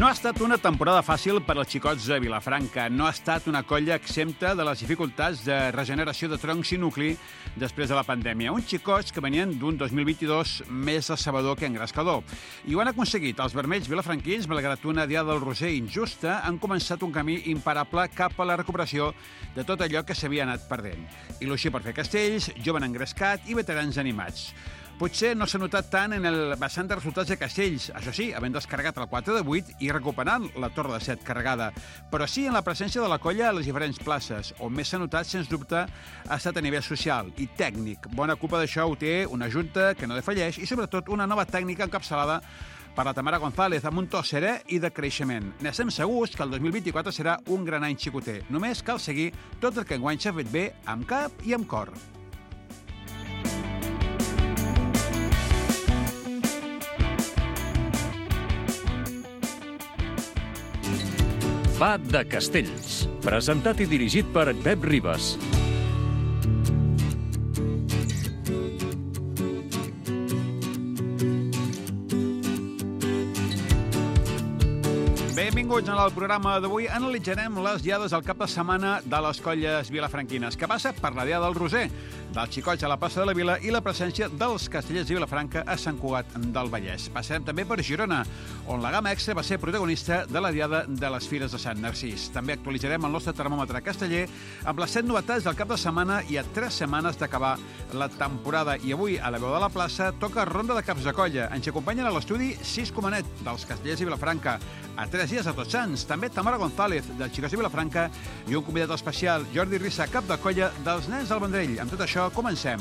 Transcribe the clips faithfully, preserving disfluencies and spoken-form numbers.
No ha estat una temporada fàcil per als xicots de Vilafranca. No ha estat una colla exempta de les dificultats de regeneració de troncs i nucli després de la pandèmia. Uns xicots que venien d'un dos mil vint-i-dos més decebedor que engrescador. I ho han aconseguit. Els vermells vilafranquins, malgrat una diada del Roser injusta, han començat un camí imparable cap a la recuperació de tot allò que s'havia anat perdent. Il·lusió per fer castells, jovent engrescat i veterans animats. Potser no s'ha notat tant en el vessant de resultats de castells, això sí, havent descarregat el quatre de vuit i recuperant la torre de set carregada, però sí en la presència de la colla a les diferents places, on més s'ha notat, sens dubte, ha estat a nivell social i tècnic. Bona culpa d'això ho té una junta que no defalleix i, sobretot, una nova tècnica encapçalada per la Tamara González, amb un to serè i de creixement. N'estem segurs que el dos mil vint-i-quatre serà un gran any xicoter. Només cal seguir tot el que enguany s'ha fet bé amb cap i amb cor. Va de Castells, presentat i dirigit per Pep Ribas. Benvinguts al programa d'avui. Analitzarem les diades al cap de setmana de les colles vilafranquines, que passa per la diada del Roser, dels xicots a la plaça de la Vila i la presència dels castellers de Vilafranca a Sant Cugat del Vallès. Passarem també per Girona, on la gamma extra va ser protagonista de la diada de les Fires de Sant Narcís. També actualitzarem el nostre termòmetre casteller amb les set novetats del cap de setmana i a tres setmanes d'acabar la temporada. I avui, a la veu de la plaça, toca ronda de caps de colla. Ens acompanyen a l'estudi sis Comanet, dels castellers de Vilafranca, a tres dies a Tots Sants, també Tamara González, dels xicots de Vilafranca, i un convidat especial, Jordi Rissa, cap de colla dels nens del Vendrell. Amb tot això, comencem.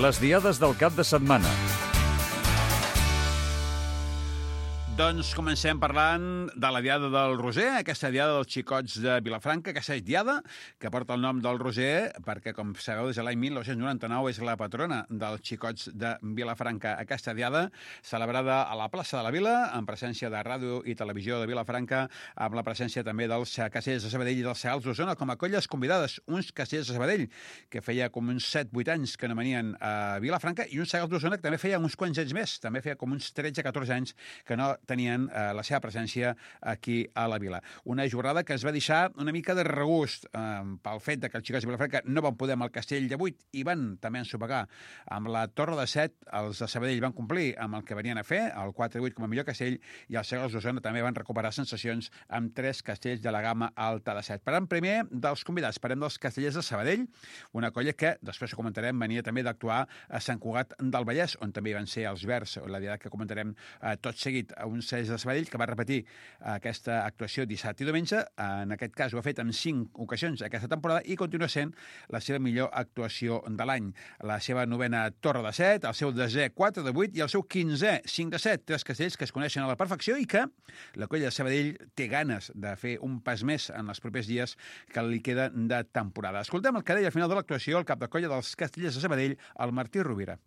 Les diades del cap de setmana. Doncs comencem parlant de la diada del Roser, aquesta diada dels xicots de Vilafranca, aquesta és diada que porta el nom del Roser perquè, com sabeu, des de l'any mil nou-cents noranta-nou és la patrona dels xicots de Vilafranca. Aquesta diada, celebrada a la plaça de la Vila, en presència de Ràdio i Televisió de Vilafranca, amb la presència també dels castellers de Sabadell i dels Segals d'Osona, com a colles convidades, uns castellers de Sabadell, que feia com uns set vuit anys que no venien a Vilafranca, i uns Segals d'Osona que també feia uns quants anys més, també feia com uns tretze catorze anys que no tenien eh, la seva presència aquí a la Vila. Una jornada que es va deixar una mica de regust eh, pel fet de que els xicots de Vilafranca no van poder amb el castell de vuit i van també ensopegar amb la torre de set. Els de Sabadell van complir amb el que venien a fer, el quatre de vuit com a millor castell, i els Segals d'Osona també van recuperar sensacions amb tres castells de la gamma alta de set. Parlem primer dels convidats, parlem dels castellers de Sabadell, una colla que, després ho comentarem, venia també d'actuar a Sant Cugat del Vallès, on també van ser els Verds, la diada que comentarem eh, tot seguit, a un castellers de Sabadell que va repetir aquesta actuació dissabte i diumenge. En aquest cas ho ha fet en cinc ocasions aquesta temporada i continua sent la seva millor actuació de l'any. La seva novena torre de set, el seu desè quatre de vuit i el seu quinzè cinc de set, tres castells que es coneixen a la perfecció i que la colla de Sabadell té ganes de fer un pas més en els propers dies que li queda de temporada. Escoltem el que deia al final de l'actuació el cap de colla dels castellers de Sabadell, el Martí Rovira.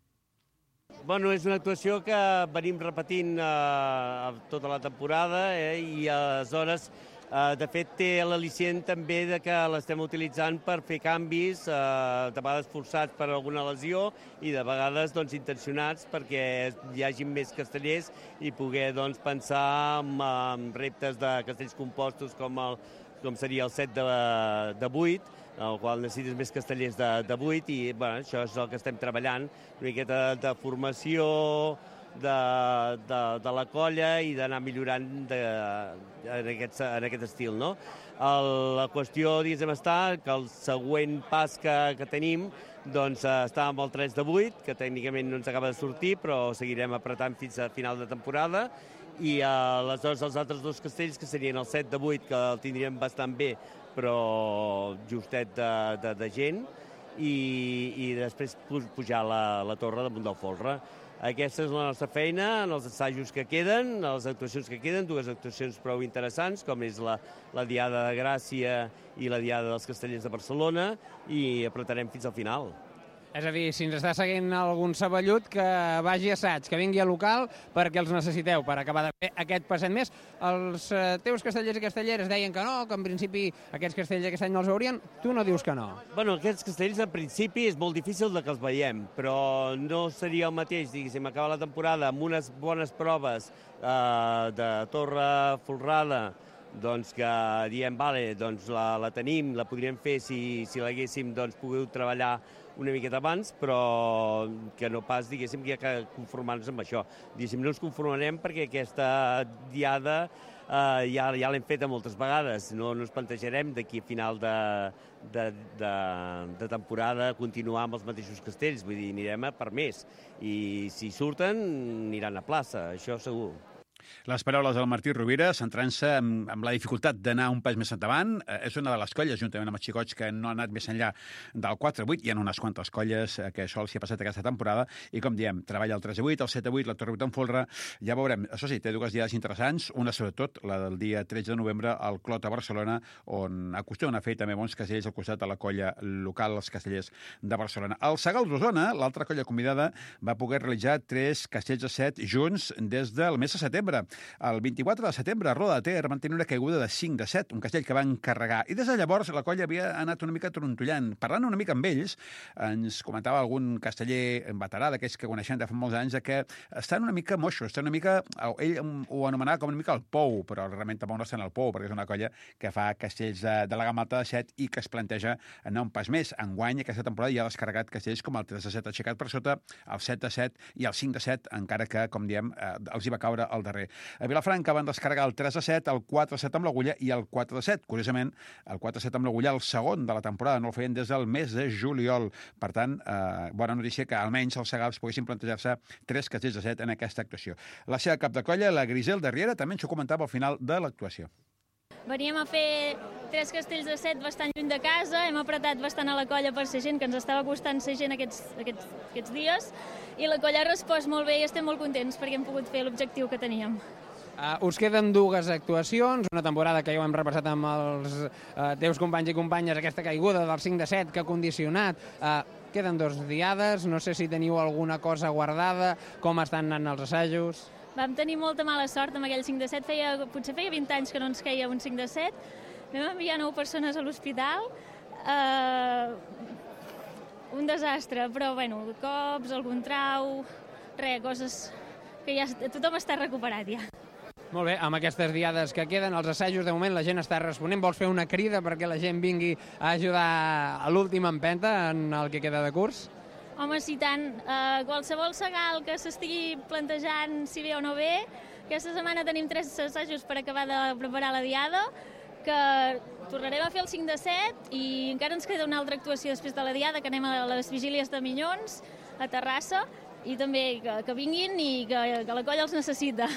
Bueno, és una actuació que venim repetint eh, tota la temporada eh, i aleshores, eh, de fet, té l'al·licient també de que l'estem utilitzant per fer canvis, eh, de vegades forçats per alguna lesió i de vegades doncs, intencionats perquè hi hagi més castellers i poder doncs, pensar en, en reptes de castells compostos com, el, com seria el set de, de vuit, en el qual necessites més castellers de, de vuit i bueno, això és el que estem treballant, una miqueta de, de formació de, de, de la colla i d'anar millorant de, en, aquest, en aquest estil. No? El, la qüestió, diguéssim, està que el següent pas que, que tenim doncs, està amb el tres de vuit, que tècnicament no ens acaba de sortir, però seguirem apretant fins a final de temporada, i aleshores els altres dos castells, que serien el set de vuit, que el tindríem bastant bé, però justet de, de, de gent, i, i després pujar la, la torre damunt del folre. Aquesta és la nostra feina en els assajos que queden, les actuacions que queden, dues actuacions prou interessants, com és la, la Diada de Gràcia i la Diada dels Castellers de Barcelona, i apretarem fins al final. És a dir, si ens està seguint algun saballut, que vagi a assaig, que vingui a local, perquè els necessiteu per acabar de fer aquest passet més. Els eh, teus castellers i castelleres deien que no, que en principi aquests castells aquest any no els veurien. Tu no dius que no. Bueno, aquests castells, en principi, és molt difícil de que els veiem, però no seria el mateix, diguéssim, acabar la temporada amb unes bones proves eh, de Torre Folrada, doncs que diem, vale, doncs la, la tenim, la podríem fer si, si l'haguéssim doncs, pogut treballar una miqueta abans, però que no pas, diguéssim, que hi ha que conformar-nos amb això. Diguéssim, no ens conformarem perquè aquesta diada eh, ja, ja l'hem feta moltes vegades. No, no ens plantejarem d'aquí a final de, de, de, de temporada continuar amb els mateixos castells. Vull dir, anirem a per més. I si surten, aniran a plaça, això segur. Les paraules del Martí Rovira, centrant-se en, en la dificultat d'anar un pas més endavant. Eh, és una de les colles, juntament amb els xicots, que no han anat més enllà del quatre a vuit. Hi ha unes quantes colles eh, que això els hi ha passat aquesta temporada. I, com diem, treballa el tres a vuit, el set a vuit, la Torre vuit en folre. Ja veurem. Això sí, té dues diades interessants. Una, sobretot, la del dia tretze de novembre, al Clot a Barcelona, on acostumen a fer també bons castells al costat de la colla local, els castellers de Barcelona. Al Segal d'Osona, l'altra colla convidada, va poder realitzar tres castells a set junts des del mes de setembre. El vint-i-quatre de setembre, a Roda de Ter van tenir una caiguda de cinc de set, un castell que van carregar. I des de llavors la colla havia anat una mica trontollant. Parlant una mica amb ells, ens comentava algun casteller veterà d'aquells que coneixem de fa molts anys, que estan una mica moixos, estan una mica... Ell ho anomenava com una mica el pou, però realment tampoc no estan al pou, perquè és una colla que fa castells de, de la gamma alta de set i que es planteja anar un pas més. Enguany, aquesta temporada, ja ha descarregat castells com el tres de set aixecat per sota, el set de set i el cinc de set, encara que, com diem, eh, els hi va caure al darrer. A Vilafranca van descarregar el tres a set, el quatre a set amb l'agulla i el quatre a set. Curiosament, el quatre a set amb l'agulla, el segon de la temporada, no el feien des del mes de juliol. Per tant, eh, bona notícia que almenys els segals poguessin plantejar-se tres castells de set en aquesta actuació. La seva cap de colla, la Griselda Riera, també ens ho comentava al final de l'actuació. Veníem a fer tres castells de set bastant lluny de casa, hem apretat bastant a la colla per ser gent, que ens estava costant ser gent aquests, aquests, aquests dies, i la colla ha respost molt bé i estem molt contents perquè hem pogut fer l'objectiu que teníem. Uh, us queden dues actuacions, una temporada que ja ho hem repassat amb els uh, teus companys i companyes, aquesta caiguda del cinc de set que ha condicionat. Uh, queden dos diades, no sé si teniu alguna cosa guardada, com estan anant els assajos... Vam tenir molta mala sort amb aquell cinc de set, feia, potser feia vint anys que no ens queia un cinc de set, vam enviar nou persones a l'hospital, uh, un desastre, però bueno, cops, algun trau, res, coses que ja tothom està recuperat ja. Molt bé, amb aquestes diades que queden, els assajos, de moment la gent està responent. Vols fer una crida perquè la gent vingui a ajudar a l'última empenta en el que queda de curs? Home, si tant, uh, qualsevol segal que s'estigui plantejant si ve o no ve, aquesta setmana tenim tres assajos per acabar de preparar la diada, que tornarem a fer el cinc de set i encara ens queda una altra actuació després de la diada, que anem a les vigílies de Minyons, a Terrassa, i també que, que vinguin i que, que la colla els necessita.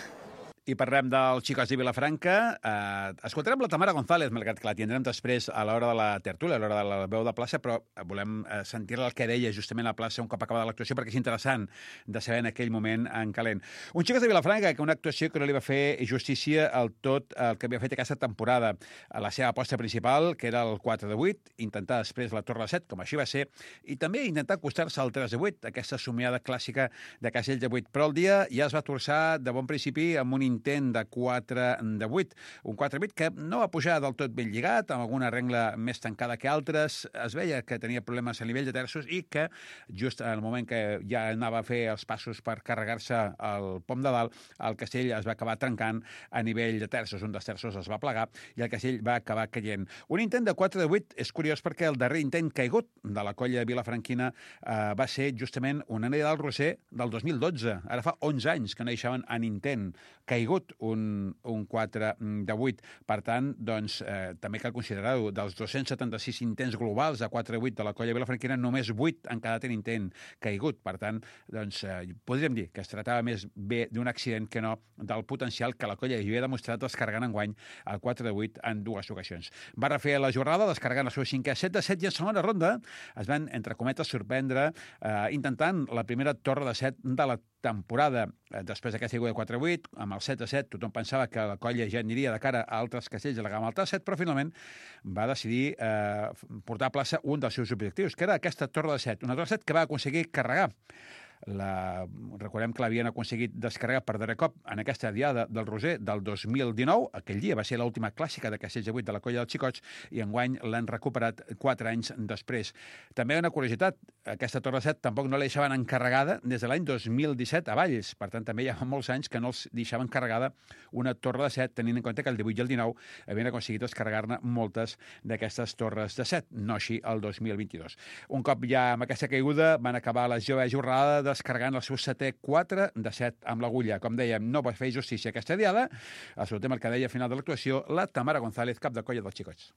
I parlem dels xicots de Vilafranca. Eh, escoltarem la Tamara González, malgrat que la tindrem després a l'hora de la tertúlia, a l'hora de la veu de plaça, però volem eh, sentir-la el que deia justament a la plaça un cop acabada l'actuació, perquè és interessant de saber en aquell moment en calent. Un xicot de Vilafranca, que una actuació que no li va fer justícia al tot el que havia fet aquesta temporada. A la seva aposta principal, que era el quatre de vuit, intentar després la torre de set, com així va ser, i també intentar acostar-se al tres de vuit, aquesta somiada clàssica de castells de vuit. Però el dia ja es va torçar de bon principi amb un intent de quatre de vuit. Un quatre de vuit que no va pujar del tot ben lligat, amb alguna regla més tancada que altres. Es veia que tenia problemes a nivell de terços i que just en el moment que ja anava a fer els passos per carregar-se el pom de dalt, el castell es va acabar trencant a nivell de terços. Un dels terços es va plegar i el castell va acabar caient. Un intent de quatre de vuit és curiós perquè el darrer intent caigut de la colla vilafranquina eh, va ser justament una anella del Roser del dos mil dotze. Ara fa onze anys que no deixaven en intent caigut un, un quatre de vuit. Per tant, doncs, eh, també cal considerar-ho. Dels dos-cents setanta-sis intents globals de quatre de vuit de la colla vilafranquina, només vuit han quedat en intent caigut. Per tant, doncs, eh, podríem dir que es tractava més bé d'un accident que no del potencial que la colla havia demostrat descarregant enguany el quatre de vuit en dues ocasions. Va refer la jornada descarregant el seu cinquè set de set i en segona ronda es van, entre cometes, sorprendre eh, intentant la primera torre de set de la temporada, després d'aquesta caiguda de quatre a vuit, amb el set a set, tothom pensava que la colla ja aniria de cara a altres castells de la gamma alta de set, però finalment va decidir eh, portar a plaça un dels seus objectius, que era aquesta torre de set, una torre de set que va aconseguir carregar. La... Recordem que l'havien aconseguit descarregar per darrer cop en aquesta diada del Roser del dos mil dinou. Aquell dia va ser l'última clàssica de castells de vuit de la colla dels Xicots i enguany l'han recuperat quatre anys després. També una curiositat, aquesta torre set tampoc no la deixaven encarregada des de l'any dos mil disset a Valls. Per tant, també hi ha molts anys que no els deixaven carregada una torre de set, tenint en compte que el divuit i el dinou havien aconseguit descarregar-ne moltes d'aquestes torres de set, no així el dos mil vint-i-dos. Un cop ja amb aquesta caiguda van acabar la jove jornada descarregant el seu setè quatre de set amb l'agulla. Com dèiem, no va fer justícia aquesta diada. Escoltem el que deia al final de l'actuació la Tamara González, cap de colla dels Xicots.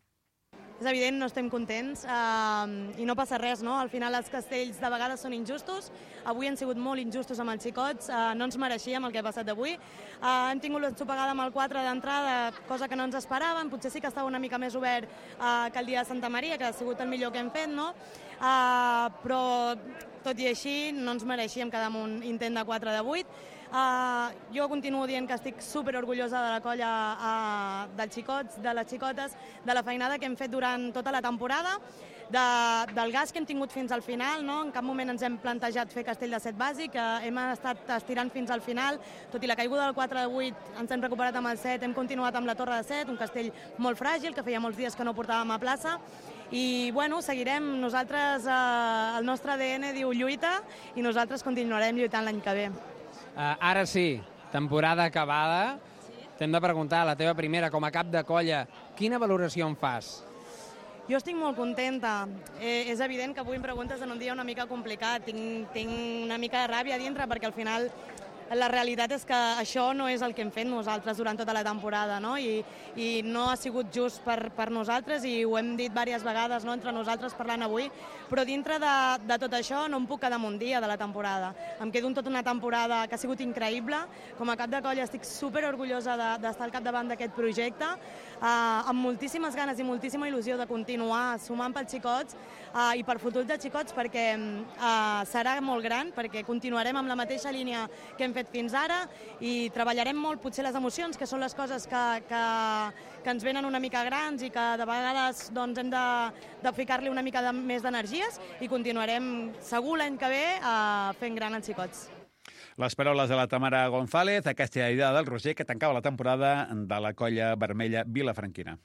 És evident, no estem contents eh, i no passa res, no? Al final els castells de vegades són injustos. Avui han sigut molt injustos amb els Xicots, eh, no ens mereixíem el que ha passat avui. Eh, hem tingut l'ensopegada amb el quatre d'entrada, cosa que no ens esperàvem. Potser sí que estava una mica més obert eh, que el dia de Santa Maria, que ha sigut el millor que hem fet, no? Eh, però tot i així no ens mereixíem quedar amb un intent de quatre de vuit. Uh, jo continuo dient que estic super orgullosa de la colla uh, dels xicots, de les xicotes, de la feinada que hem fet durant tota la temporada, de, del gas que hem tingut fins al final, no? En cap moment ens hem plantejat fer castell de set bàsic, uh, hem estat estirant fins al final, tot i la caiguda del quatre de vuit ens hem recuperat amb el set, hem continuat amb la torre de set, un castell molt fràgil, que feia molts dies que no portàvem a plaça, i bueno, seguirem, nosaltres, uh, el nostre A D N diu lluita, i nosaltres continuarem lluitant l'any que ve. Uh, ara sí, temporada acabada. Sí. T'hem de preguntar, la teva primera com a cap de colla, quina valoració en fas? Jo estic molt contenta. Eh, és evident que avui em preguntes en un dia una mica complicat. Tinc, tinc una mica de ràbia a dintre perquè al final la realitat és que això no és el que hem fet nosaltres durant tota la temporada, no? I, i no ha sigut just per, per nosaltres i ho hem dit diverses vegades, no? Entre nosaltres parlant avui, però dintre de, de tot això no em puc quedar amb un dia de la temporada. Em quedo en tota una temporada que ha sigut increïble. Com a cap de colla estic super orgullosa d'estar de, al capdavant d'aquest projecte, eh, amb moltíssimes ganes i moltíssima il·lusió de continuar sumant pels xicots eh, i per futur dels xicots perquè eh, serà molt gran, perquè continuarem amb la mateixa línia que hem fet fins ara i treballarem molt potser les emocions, que són les coses que, que, que ens venen una mica grans i que de vegades doncs, hem de, de ficar-li una mica de, més d'energies i continuarem segur l'any que ve eh, fent gran els xicots. Les paraules de la Tamara González, aquesta idea del Roser que tancava la temporada de la colla vermella vilafranquina.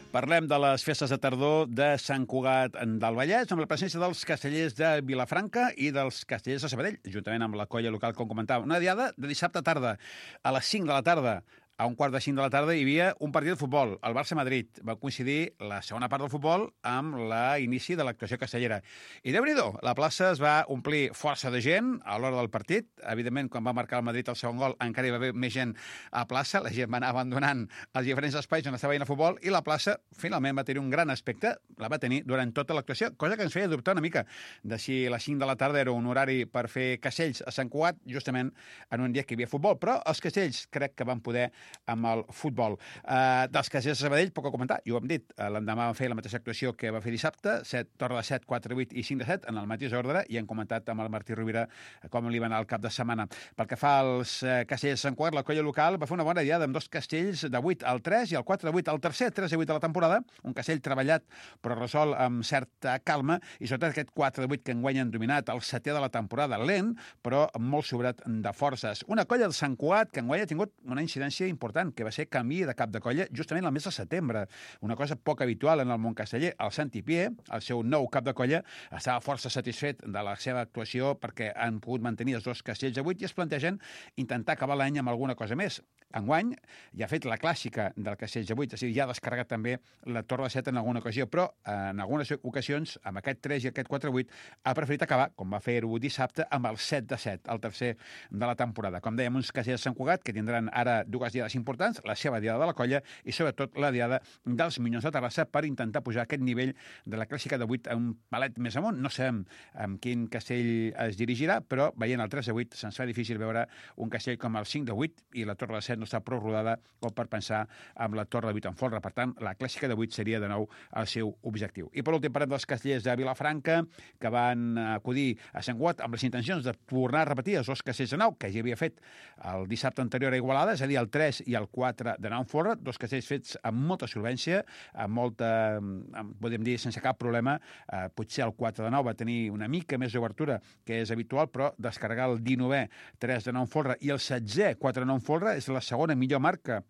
Parlem de les festes de tardor de Sant Cugat del Vallès, amb la presència dels castellers de Vilafranca i dels castellers de Sabadell, juntament amb la colla local, com comentava. Una diada de dissabte tarda, a les cinc de la tarda. A un quart de cinc de la tarda hi havia un partit de futbol, el Barça-Madrid. Va coincidir la segona part del futbol amb l'inici de l'actuació castellera. I déu-n'hi-do, la plaça es va omplir força de gent a l'hora del partit. Evidentment, quan va marcar el Madrid el segon gol, encara hi va haver més gent a plaça. La gent va anar abandonant els diferents espais on estava veient el futbol i la plaça finalment va tenir un gran aspecte. La va tenir durant tota l'actuació, cosa que ens feia dubtar una mica de si a les cinc de la tarda era un horari per fer castells a Sant Cugat, justament en un dia que hi havia futbol. Però els castells crec que van poder amb el futbol. Uh, dels castellers de Sabadell, poc a comentar, i ho hem dit, uh, l'endemà van fer la mateixa actuació que va fer dissabte, set, torre de set, quatre, vuit i cinc de set, en el mateix ordre, i han comentat amb el Martí Rovira com li va anar el cap de setmana. Pel que fa als uh, castellers de Sant Cugat, la colla local va fer una bona diada amb dos castells de vuit al tres i el quatre de vuit al tercer, tres i vuit de la temporada, un castell treballat però resol amb certa calma, i sobretot aquest quatre de vuit que enguany han dominat, el setè de la temporada, lent, però molt sobrat de forces. Una colla de Sant Cugat que enguany ha tingut una incidència important, que va ser canvi de cap de colla justament el mes de setembre. Una cosa poc habitual en el món casteller. El Santi Pié, el seu nou cap de colla, estava força satisfet de la seva actuació perquè han pogut mantenir els dos castells de vuit i es plantegen intentar acabar l'any amb alguna cosa més. Enguany ja ha fet la clàssica del castell de vuit, és a dir, ja ha descarregat també la torre de set en alguna ocasió, però en algunes ocasions, amb aquest tres i aquest quatre vuit, ha preferit acabar, com va fer-ho dissabte, amb el set de set, el tercer de la temporada. Com dèiem, uns castellers de Sant Cugat que tindran ara dues diades diades importants, la seva diada de la colla i, sobretot, la diada dels Minyons de Terrassa per intentar pujar aquest nivell de la clàssica de vuit a un palet més amunt. No sabem amb quin castell es dirigirà, però veient el tres de vuit se'ns fa difícil veure un castell com el cinc de vuit i la torre de set no està prou rodada com per pensar amb la torre de vuit en folre. Per tant, la clàssica de vuit seria de nou el seu objectiu. I per últim parlem dels castellers de Vilafranca que van acudir a Sant Guat amb les intencions de tornar a repetir els dos castells de nau que ja havia fet el dissabte anterior a Igualada, és a dir, el tres i el quatre de nau en folre, dos castells fets amb molta solvència, amb molta, amb, podem dir, sense cap problema. Eh, potser el quatre de nau va tenir una mica més d'obertura que és habitual, però descarregar el dinovè tres de nau en folre i el setzè quatre de nau en folre és la segona millor marca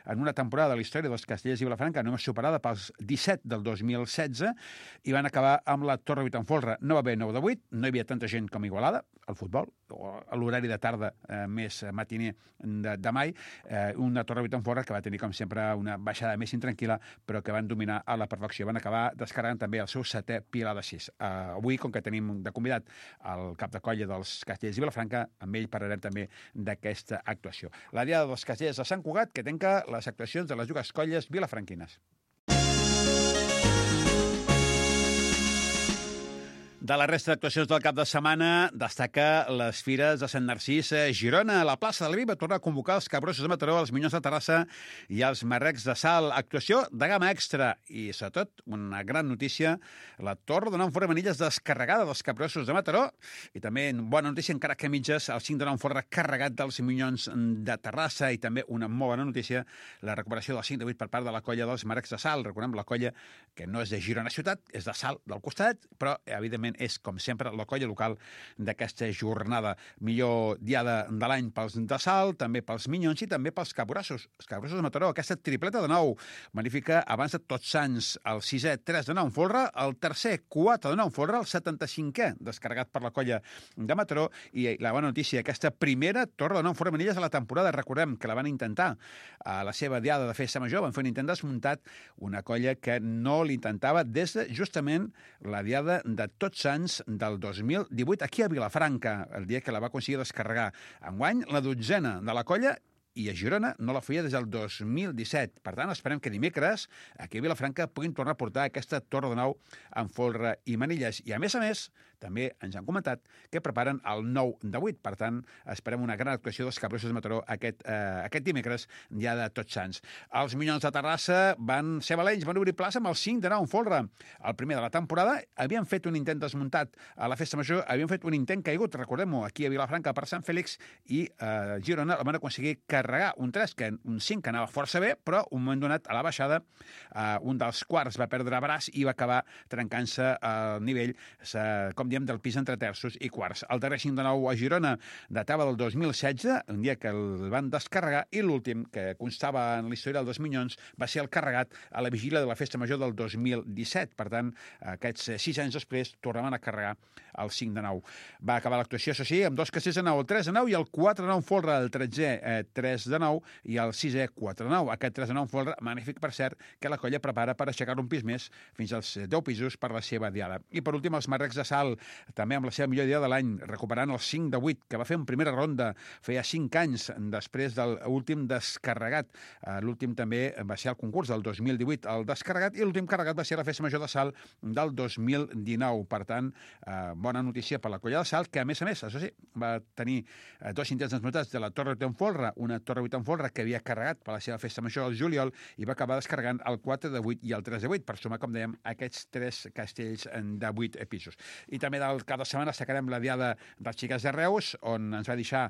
en una temporada de la història dels castellers i Vilafranca, només superada pels disset del dos mil setze, i van acabar amb la torre vuit en folre. No va haver nou de vuit, no hi havia tanta gent com a Igualada, al futbol, o a l'horari de tarda eh, més matiner de, de mai, eh, una torre vuit en folre que va tenir, com sempre, una baixada més intranquil·la, però que van dominar a la perfecció. Van acabar descarregant també el seu setè pilar de sis. Eh, avui, com que tenim de convidat el cap de colla dels castellers i Vilafranca, amb ell parlarem també d'aquesta actuació. La diada dels castellers de Sant Cugat, que tanca les actuacions de les dues colles vilafranquines. De la resta d'actuacions del cap de setmana destaca les fires de Sant Narcís a Girona. La plaça del Vi va tornar a convocar els Capgrossos de Mataró, els Minyons de Terrassa i els Marrecs de Salt. Actuació de gamma extra i, sobretot, una gran notícia, la torre de nou en folre Manilles descarregada dels Capgrossos de Mataró i també, bona notícia, encara que mitges, el cinc de nou en folre carregat dels Minyons de Terrassa i també una molt bona notícia, la recuperació del cinc de vuit per part de la colla dels Marrecs de Salt. Recordem, la colla que no és de Girona ciutat, és de Salt del costat, però, evidentment, és, com sempre, la colla local d'aquesta jornada. Millor diada de l'any pels de Salt, també pels Minyons i també pels Capgrossos. Els Capgrossos de Mataró, aquesta tripleta de nou, magnífica abans de Tots Sants, el sisè tres de nou en folre, el tercer quatre de nou en folre, el setanta-cinquè descarregat per la colla de Mataró i la bona notícia, aquesta primera torre de nou en folre Manilles de la temporada. Recordem que la van intentar a la seva diada de festa major, van fer un intent desmuntat, una colla que no l'intentava des de justament la diada de Tots Sants del dos mil divuit, aquí a Vilafranca, el dia que la va aconseguir descarregar. Enguany, la dotzena de la colla, i a Girona no la feia des del dos mil disset. Per tant, esperem que dimecres aquí a Vilafranca puguin tornar a portar aquesta torre de nou en folre i Manilles. I, a més a més, també ens han comentat que preparen el nou de vuit. Per tant, esperem una gran actuació dels Capgrossos de Mataró aquest, eh, aquest dimecres, dia de Tots Sants. Els Minyons de Terrassa van ser valents, van obrir plaça amb el cinc de nou en folre. El primer de la temporada havien fet un intent desmuntat a la festa major, havien fet un intent caigut, recordem-ho, aquí a Vilafranca per Sant Fèlix, i a eh, Girona el van aconseguir carregar un tres, que un cinc que anava força bé, però un moment donat a la baixada eh, un dels quarts va perdre braç i va acabar trencant-se al nivell, eh, com diem, del pis entre terços i quarts. El darrer cinc de nou a Girona datava del dos mil setze, un dia que el van descarregar, i l'últim, que constava en la història dels Minyons, va ser el carregat a la vigília de la festa major del dos mil disset. Per tant, aquests sis anys després tornaven a carregar el cinc de nou. Va acabar l'actuació, això sí, amb dos castells de nou, el tres de nou i el quatre de nou en folre, el tretzè eh, tres de nou i el sisè quatre de nou. Aquest tres de nou en folre, magnífic, per cert, que la colla prepara per aixecar un pis més fins als deu pisos per la seva diada. I per últim, els Marrecs de Salt, també amb la seva millor diada de l'any, recuperant el cinc de vuit, que va fer en primera ronda, feia cinc anys després de l'últim descarregat. L'últim també va ser el concurs del dos mil divuit, el descarregat, i l'últim carregat va ser la festa major de Salt del dos mil dinou. Per tant, eh, bona notícia per la colla de Salt, que a més a més, això sí, va tenir eh, dos intents desmuntats de la torre vuit en folre, una torre vuit en folre que havia carregat per la seva festa major al juliol i va acabar descarregant el quatre de vuit i el tres de vuit, per sumar, com dèiem, aquests tres castells de vuit pisos. I també del cap de setmana destacarem la diada dels Xiquets de Reus, on ens va deixar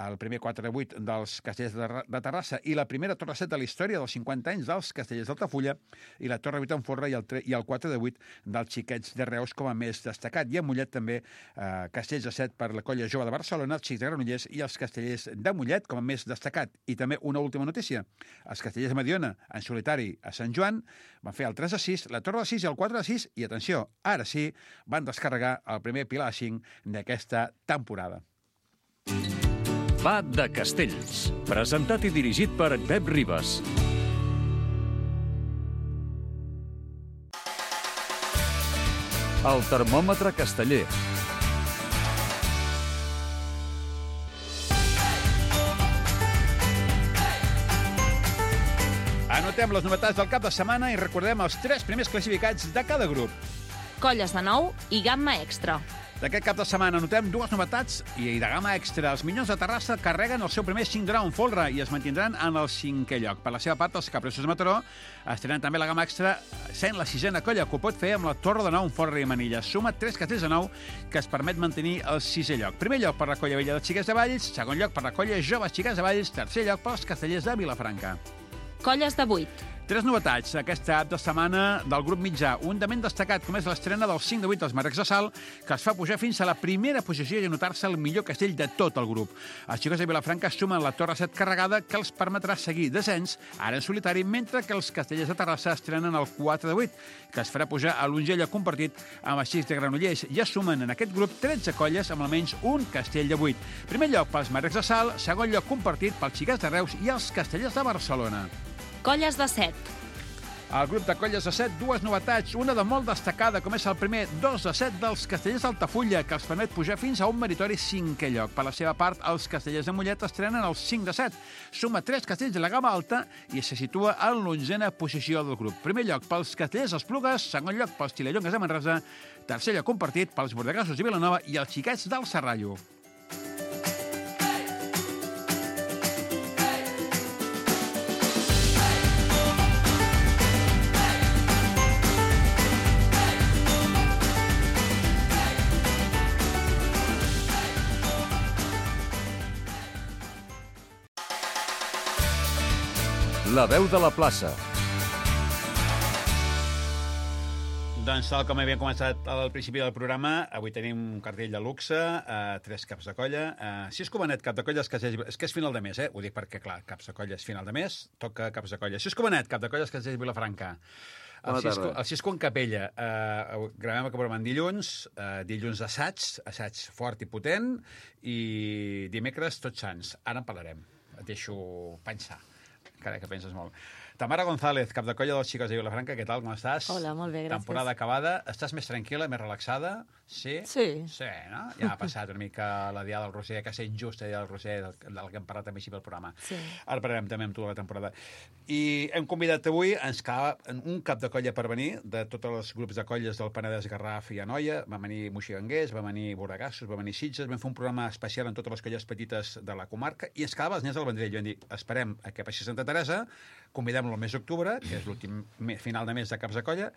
el primer quatre de vuit dels castellers de, de Terrassa i la primera torre set de la història dels cinquanta anys dels castellers d'Altafulla, i la torre vuit en folre i el, i el quatre de vuit dels Xiquets de Reus com a més destacat. I a Mollet també eh, castells de set per la colla jove de Barcelona, els Xics de Granollers i els castellers de Mollet com a més destacat. I també una última notícia. Els castellers de Mediona, en solitari a Sant Joan, van fer el tres de sis, la torre de sis i el quatre de sis, i atenció, ara sí, van descarregar el primer pilar de cinc d'aquesta temporada. Va de Castells, presentat i dirigit per Pep Ribas. El termòmetre casteller. Repassem les novetats del cap de setmana i recordem els tres primers classificats de cada grup. Colles de nou i gamma extra. D'aquest cap de setmana notem dues novetats i de gamma extra. Els Minyons de Terrassa carreguen el seu primer cinc de nou en folre i es mantindran en el cinquè lloc. Per la seva part, els Capressos de Mataró estrenen també la gamma extra, sent la sisena colla que ho pot fer amb la Torre de Nou en folre i manilla. Suma tres castells de nou que es permet mantenir el sisè lloc. Primer lloc per la colla vella dels Xiquets de Valls, segon lloc per la colla Joves Xiquets de Valls, tercer lloc pels castellers de Vilafranca. Colles de vuit. Tres novetats aquesta cap de setmana del grup mitjà. Un de ben destacat, com és l'estrena del cinc de vuit dels Marrecs de Sal, que es fa pujar fins a la primera posició i anotar-se el millor castell de tot el grup. Els xicots de Vilafranca sumen la Torre set carregada, que els permetrà seguir descens, ara en solitari, mentre que els castellers de Terrassa estrenen el quatre de vuit, que es farà pujar a l'onzè lloc compartit amb els xics de Granollers. Ja sumen en aquest grup tretze colles amb almenys un castell de vuit. Primer lloc pels Marrecs de Sal, segon lloc compartit pels xiquets de Reus i els castellers de Barcelona. Colles de set. Al grup de colles de set, dues novetats. Una de molt destacada, com és el primer dos de set dels castellers d'Altafulla, que els permet pujar fins a un meritori cinquè lloc. Per la seva part, els castellers de Mollet estrenen el cinc de set. Suma tres castells de la gamma alta i se situa en l'onzena posició del grup. Primer lloc pels castellers d'Esplugues, segon lloc pels Tilellongues de Manresa, tercer lloc compartit pels Bordegassos de Vilanova i els xiquets del Serrallo. La veu de la plaça. Doncs, tal com havíem començat al principi del programa, avui tenim un cartell de luxe, eh, tres caps de colla, eh, sis Covanet, cap de colla, és que és, és que és final de mes, eh? Ho dic perquè, clar, caps de colla és final de mes, toca caps de colla. Sis Covanet, cap de colla, és que és Vilafranca. El Cisco, el Cisco en Capella. Eh, gravem el programa en dilluns, eh, dilluns assaig, assaig fort i potent, i dimecres Tots Sants. Ara en parlarem. Et deixo pensar. Carai, que penses molt. Tamara González, cap de colla dels Xicots de Vilafranca, què tal, com estàs? Hola, molt bé, gràcies. Temporada acabada. Estàs més tranquil·la, més relaxada? Sí? Sí. Sí, no? Ja ha passat una mica la Diada del Roser, que ha estat injusta, la Diada del Roser, del, del que hem parlat també així pel programa. Sí. Ara parlarem també amb tu de la temporada. I hem convidat avui, ens cal un cap de colla per venir, de tots els grups de colles del Penedès, Garraf i Anoia. Va venir Moixiganguers, va venir Bordegassos, va venir Sitges, vam fer un programa especial en totes les colles petites de la comarca i ens quedava els nens del Vendrell. Vam dir, esperem a que passi Santa Teresa, convidem-lo el mes d'octubre, que és l'últim final de mes de caps de colla.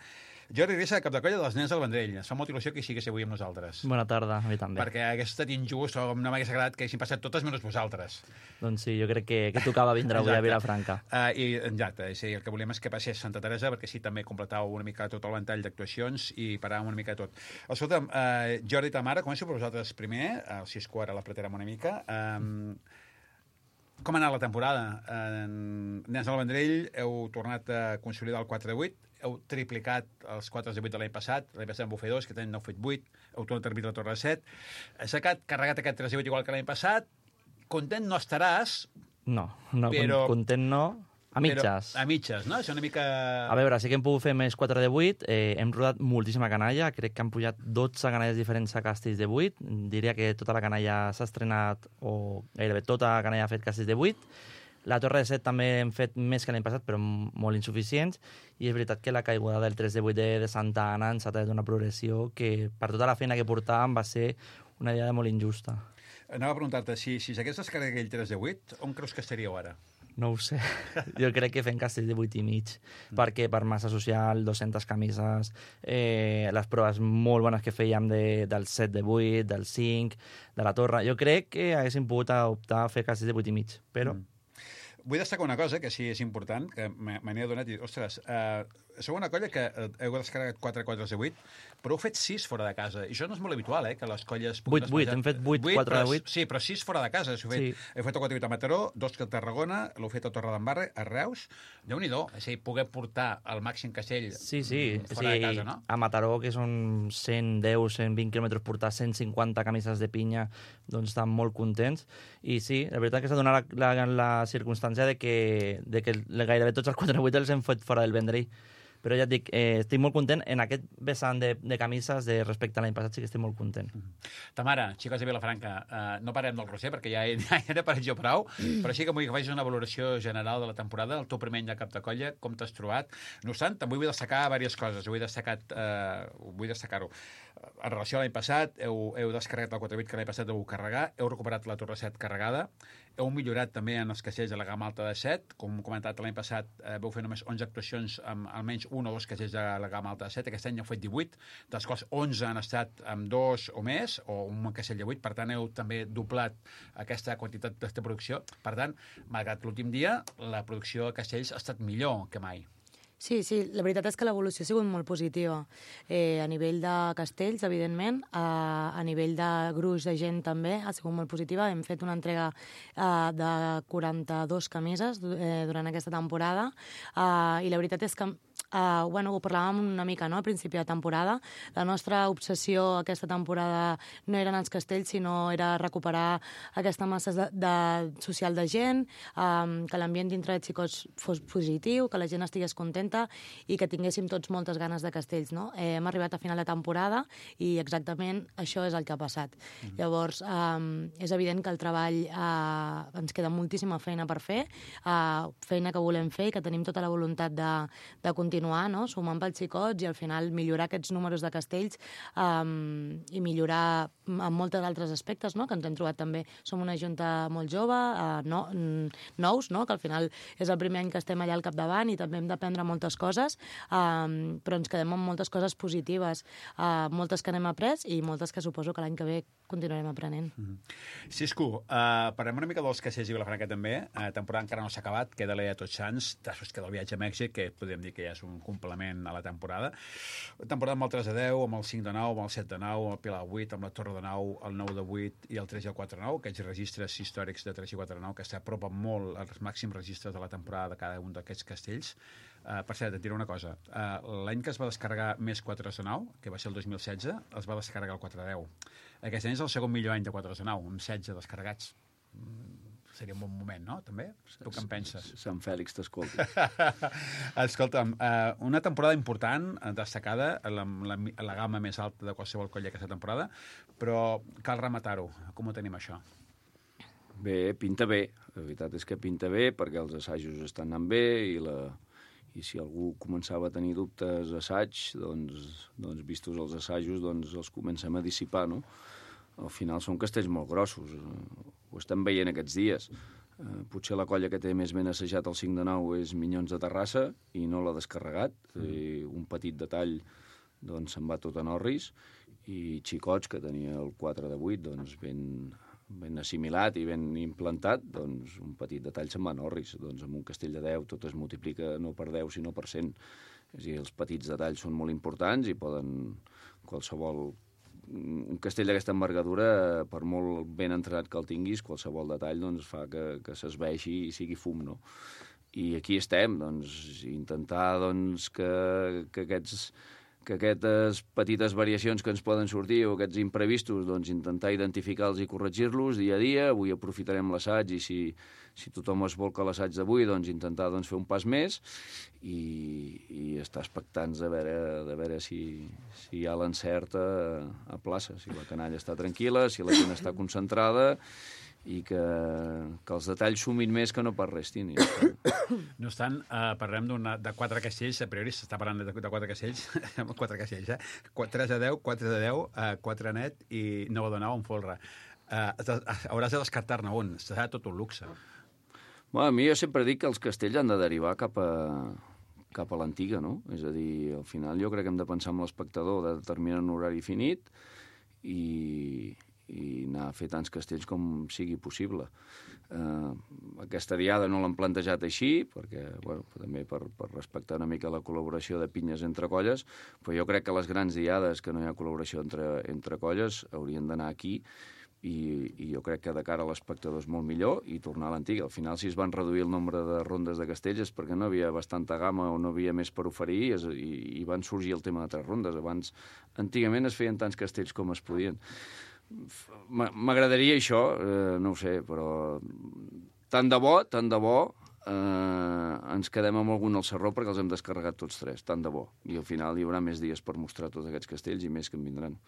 Jordi Grissa, cap de colla dels nens del Vendrell. Ens fa molta il·lusió que hi sigués avui amb nosaltres. Bona tarda, a mi també. Perquè hagués estat injust o no m'hagués agradat que haguessin passat totes menys vosaltres. Doncs sí, jo crec que, que tocava vindre avui a Vilafranca. Uh, I exacte, sí, el que volíem és que passés Santa Teresa, perquè sí, també completàveu una mica tot el ventall d'actuacions i paràvem una mica tot. Escolta'm, uh, Jordi i Tamara, començo per vosaltres primer, el Cisco ara l'apretarem una mica. Um, Com ha anat la temporada? En Nens del Vendrell heu tornat a consolidar el quatre de vuit, heu triplicat els quatre de vuit de l'any passat, l'any passat en vau fer dos, que tenen nou fet vuit, heu tornat a arbitrar la Torre de set, has carregat aquest tres de vuit igual que l'any passat, content no estaràs... No, no però, content no, a mitges. Però, a mitges, no? Això una mica... A veure, sí que hem pogut fer més quatre de vuit, eh, hem rodat moltíssima canalla, crec que han pujat dotze canalles diferents a castells de vuit, diria que tota la canalla s'ha estrenat, o gairebé tota la canalla ha fet castells de vuit. La Torre de set també hem fet més que l'any passat, però molt insuficients, i és veritat que la caiguda del tres de vuit de, de Santa Anna ens ha tret una progressió que, per tota la feina que portàvem, va ser una idea molt injusta. Anava a preguntar-te, si, si s'hagués descarregat aquell tres de vuit, on creus que estaríeu ara? No ho sé. Jo crec que fem castells de vuit i mig, mm. perquè per massa social, dues-centes camises, eh, les proves molt bones que fèiem de, del set de vuit, del cinc, de la Torre. Jo crec que haguéssim pogut optar a fer castells de vuit i mig, però... Mm. Vull destacar una cosa que sí és important, que me n'he adonat i, ostres, eh, sou una colla que heu descarregat quatre quatre de vuit, però heu fet sis fora de casa. I això no és molt habitual, eh, que les colles... vuit vuit, hem fet vuit quatre de vuit. Sí, però sis fora de casa. Heu fet, sí. heu fet el quatre vuit a Mataró, dos a Tarragona, l'heu fet a Torredembarra, a Reus. Déu-n'hi-do, és a dir, poder portar el màxim castell sí, sí. fora sí, de casa, no? A Mataró, que són cent deu, cent vint quilòmetres, portar cent cinquanta camises de pinya, doncs estan molt contents. I sí, la veritat que s'ha donat la, la, la circumstància de que, de que gairebé tots els quatre vuit els hem fet fora del Vendrell. Però ja et dic, eh, estic molt content en aquest vessant de, de camises de respecte a l'any passat, sí que estic molt content. Tamara, xicots de Vilafranca, eh, no parem del Roser perquè ja he, ja he parat jo prou, però sí que vull que facis una valoració general de la temporada, el teu primer any de cap de colla, com t'has trobat. No obstant, també vull destacar diverses coses, vull destacar-ho. Eh, vull destacar-ho. En relació a l'any passat, heu, heu descarregat el quatre vuit que l'any passat heu carregar, heu recuperat la Torre set carregada, heu millorat també en els caixers de la gamma alta de set, com hem comentat l'any passat eh, veu fer només onze actuacions amb almenys un o dos caixers de la gamma alta de set, aquest any heu fet divuit, dels quals onze han estat amb dos o més, o un caixell de vuit, per tant heu també doblat aquesta quantitat de producció. Per tant, malgrat l'últim dia, la producció de caixells ha estat millor que mai. Sí, sí, la veritat és que l'evolució ha sigut molt positiva. Eh, a nivell de castells, evidentment, a, a nivell de gruix de gent també ha sigut molt positiva. Hem fet una entrega eh, de quaranta-dues camises eh, durant aquesta temporada eh, i la veritat és que Uh, bueno, ho parlàvem una mica, no?, al principi de temporada. La nostra obsessió aquesta temporada no eren els castells, sinó era recuperar aquesta massa de, de social de gent, um, que l'ambient dintre de xicots fos positiu, que la gent estigués contenta i que tinguéssim tots moltes ganes de castells, no? Eh, hem arribat a final de temporada i exactament això és el que ha passat. Mm-hmm. Llavors, um, és evident que el treball uh, ens queda moltíssima feina per fer, uh, feina que volem fer i que tenim tota la voluntat de, de continuar continuar, no?, sumant pels xicots i al final millorar aquests números de castells um, i millorar en moltes altres aspectes, no?, que ens hem trobat també. Som una junta molt jove, uh, no, nous, no?, que al final és el primer any que estem allà al capdavant i també hem d'aprendre moltes coses, um, però ens quedem amb moltes coses positives, uh, moltes que n'hem après i moltes que suposo que l'any que ve continuarem aprenent. Mm-hmm. Cisco, uh, parlem una mica dels caixers i Vilafranca també. Uh, temporada encara no s'ha acabat, queda l'E A Tots Sants, després queda el viatge a Mèxic, que podem dir que ja és un complement a la temporada. Temporada amb el tres de deu, amb el cinc de nou, amb el set de nou, amb el Pilar vuit, amb la Torre de nou, el nou de vuit i el tres i el quatre de nou, aquests registres històrics de tres i quatre de nou que s'apropen molt als màxims registres de la temporada de cada un d'aquests castells. Uh, per cert, et diré una cosa. Uh, l'any que es va descarregar més quatre de nou, que va ser el dos mil setze, es va descarregar el quatre de deu. Aquest any és el segon millor any de quatre de nou, amb setze descarregats. Mm. Seria un bon moment, no?, també? Tu què en penses? Sant Fèlix t'escolta. Escolta'm, uh, una temporada important, destacada, la, la, la gamma més alta de qualsevol colla aquesta temporada, però cal rematar-ho. Com ho tenim, això? Bé, pinta bé. La veritat és que pinta bé perquè els assajos estan anant bé i, la, i si algú començava a tenir dubtes assaig, doncs, doncs vistos els assajos, doncs els comencem a dissipar, no? Al final són castells molt grossos, ho estem veient aquests dies. Eh, potser la colla que té més ben assajat el cinc de nou és Minyons de Terrassa i no l'ha descarregat. Mm. I un petit detall doncs se'n va tot a Norris i Xicots, que tenia el quatre de vuit, doncs ben, ben assimilat i ben implantat, doncs un petit detall se'n va a Norris. Doncs amb un castell de deu tot es multiplica no per deu sinó per cent. És a dir, els petits detalls són molt importants i poden qualsevol... Un castell d'aquesta envergadura, per molt ben entrenat que el tinguis, qualsevol detall doncs, fa que, que s'esveixi i sigui fum, no? I aquí estem, doncs, intentar doncs, que, que, aquests, que aquestes petites variacions que ens poden sortir o aquests imprevistos, doncs, intentar identificar-los i corregir-los dia a dia. Avui aprofitarem l'assaig i si, si tothom es volca a l'assaig d'avui, doncs, intentar doncs, fer un pas més i, i estar expectants de veure, de veure si, si hi ha l'encert a, a plaça, si la canalla està tranquil·la, si la gent està concentrada i que, que els detalls sumin més que no pas restin. No obstant, uh, parlem de quatre castells, a priori s'està parlant de, de quatre castells, quatre castells, eh? tres de deu, quatre de deu, uh, quatre net i nou de nou en folre. Uh, hauràs de descartar-ne un, serà tot un luxe. Bueno, a mi jo sempre dic que els castells han de derivar cap a, cap a l'antiga, no? És a dir, al final jo crec que hem de pensar en l'espectador, de determinar un horari finit i, i anar a fer tants castells com sigui possible. Uh, aquesta diada no l'han plantejat així, perquè, bueno, també per, per respectar una mica la col·laboració de pinyes entre colles, però jo crec que les grans diades que no hi ha col·laboració entre, entre colles haurien d'anar aquí i, i jo crec que de cara a l'espectador és molt millor i tornar a l'antiga. Al final, si es van reduir el nombre de rondes de castells és perquè no havia bastanta gamma o no havia més per oferir i, i, i van sorgir el tema de tres rondes. Abans, antigament es feien tants castells com es podien. M'agradaria això, eh, no ho sé, però tant de bo, tant de bo eh, ens quedem amb algun al Sarró perquè els hem descarregat tots tres, tant de bo. I al final hi haurà més dies per mostrar tots aquests castells i més que en vindran.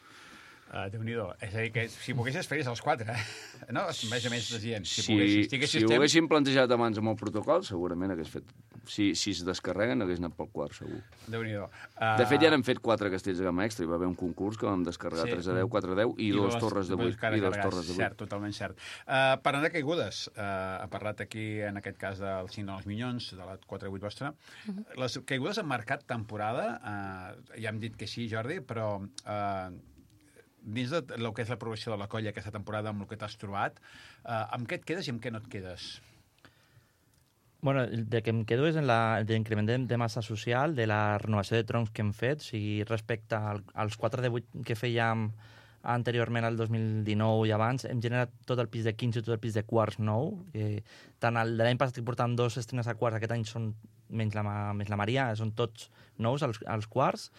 Uh, Déu-n'hi-do. És a dir, que si poguessis faries els quatre, eh? No? Més o menys decien. Si, Si, poguessis, si ho haguéssim plantejat abans amb el protocol, segurament hagués fet... Si, si es descarreguen, hagués anat pel quart, segur. Déu-n'hi-do. Uh... De fet, ja n'hem fet quatre castells de gamma extra. Hi va haver un concurs que vam descarregar Sí. tres a deu, quatre a deu i, I dos torres de vuit. I dos torres de vuit. Cert, totalment cert. Uh, parlant de caigudes, uh, ha parlat aquí, en aquest cas, del cinc dels Minyons, de la quatre a vuit vostra. Uh -huh. Les caigudes han marcat temporada. Uh, ja hem dit que sí, Jordi, però... Uh, dins de el que és la progressió de la colla aquesta temporada, amb el que t'has trobat, eh, amb què et quedes i amb què no et quedes? Bueno, el de que em quedo és en la- l'increment de, de massa social, de la renovació de troncs que hem fet, o sigui, respecte al, als quatre de vuit que fèiem anteriorment al dos mil dinou i abans, hem generat tot el pis de quinze i tot el pis de quarts nou. Eh, tant el de l'any passat que portàvem dos estrenes a quarts, aquest any són menys la, menys la Maria, són tots nous als, als quarts.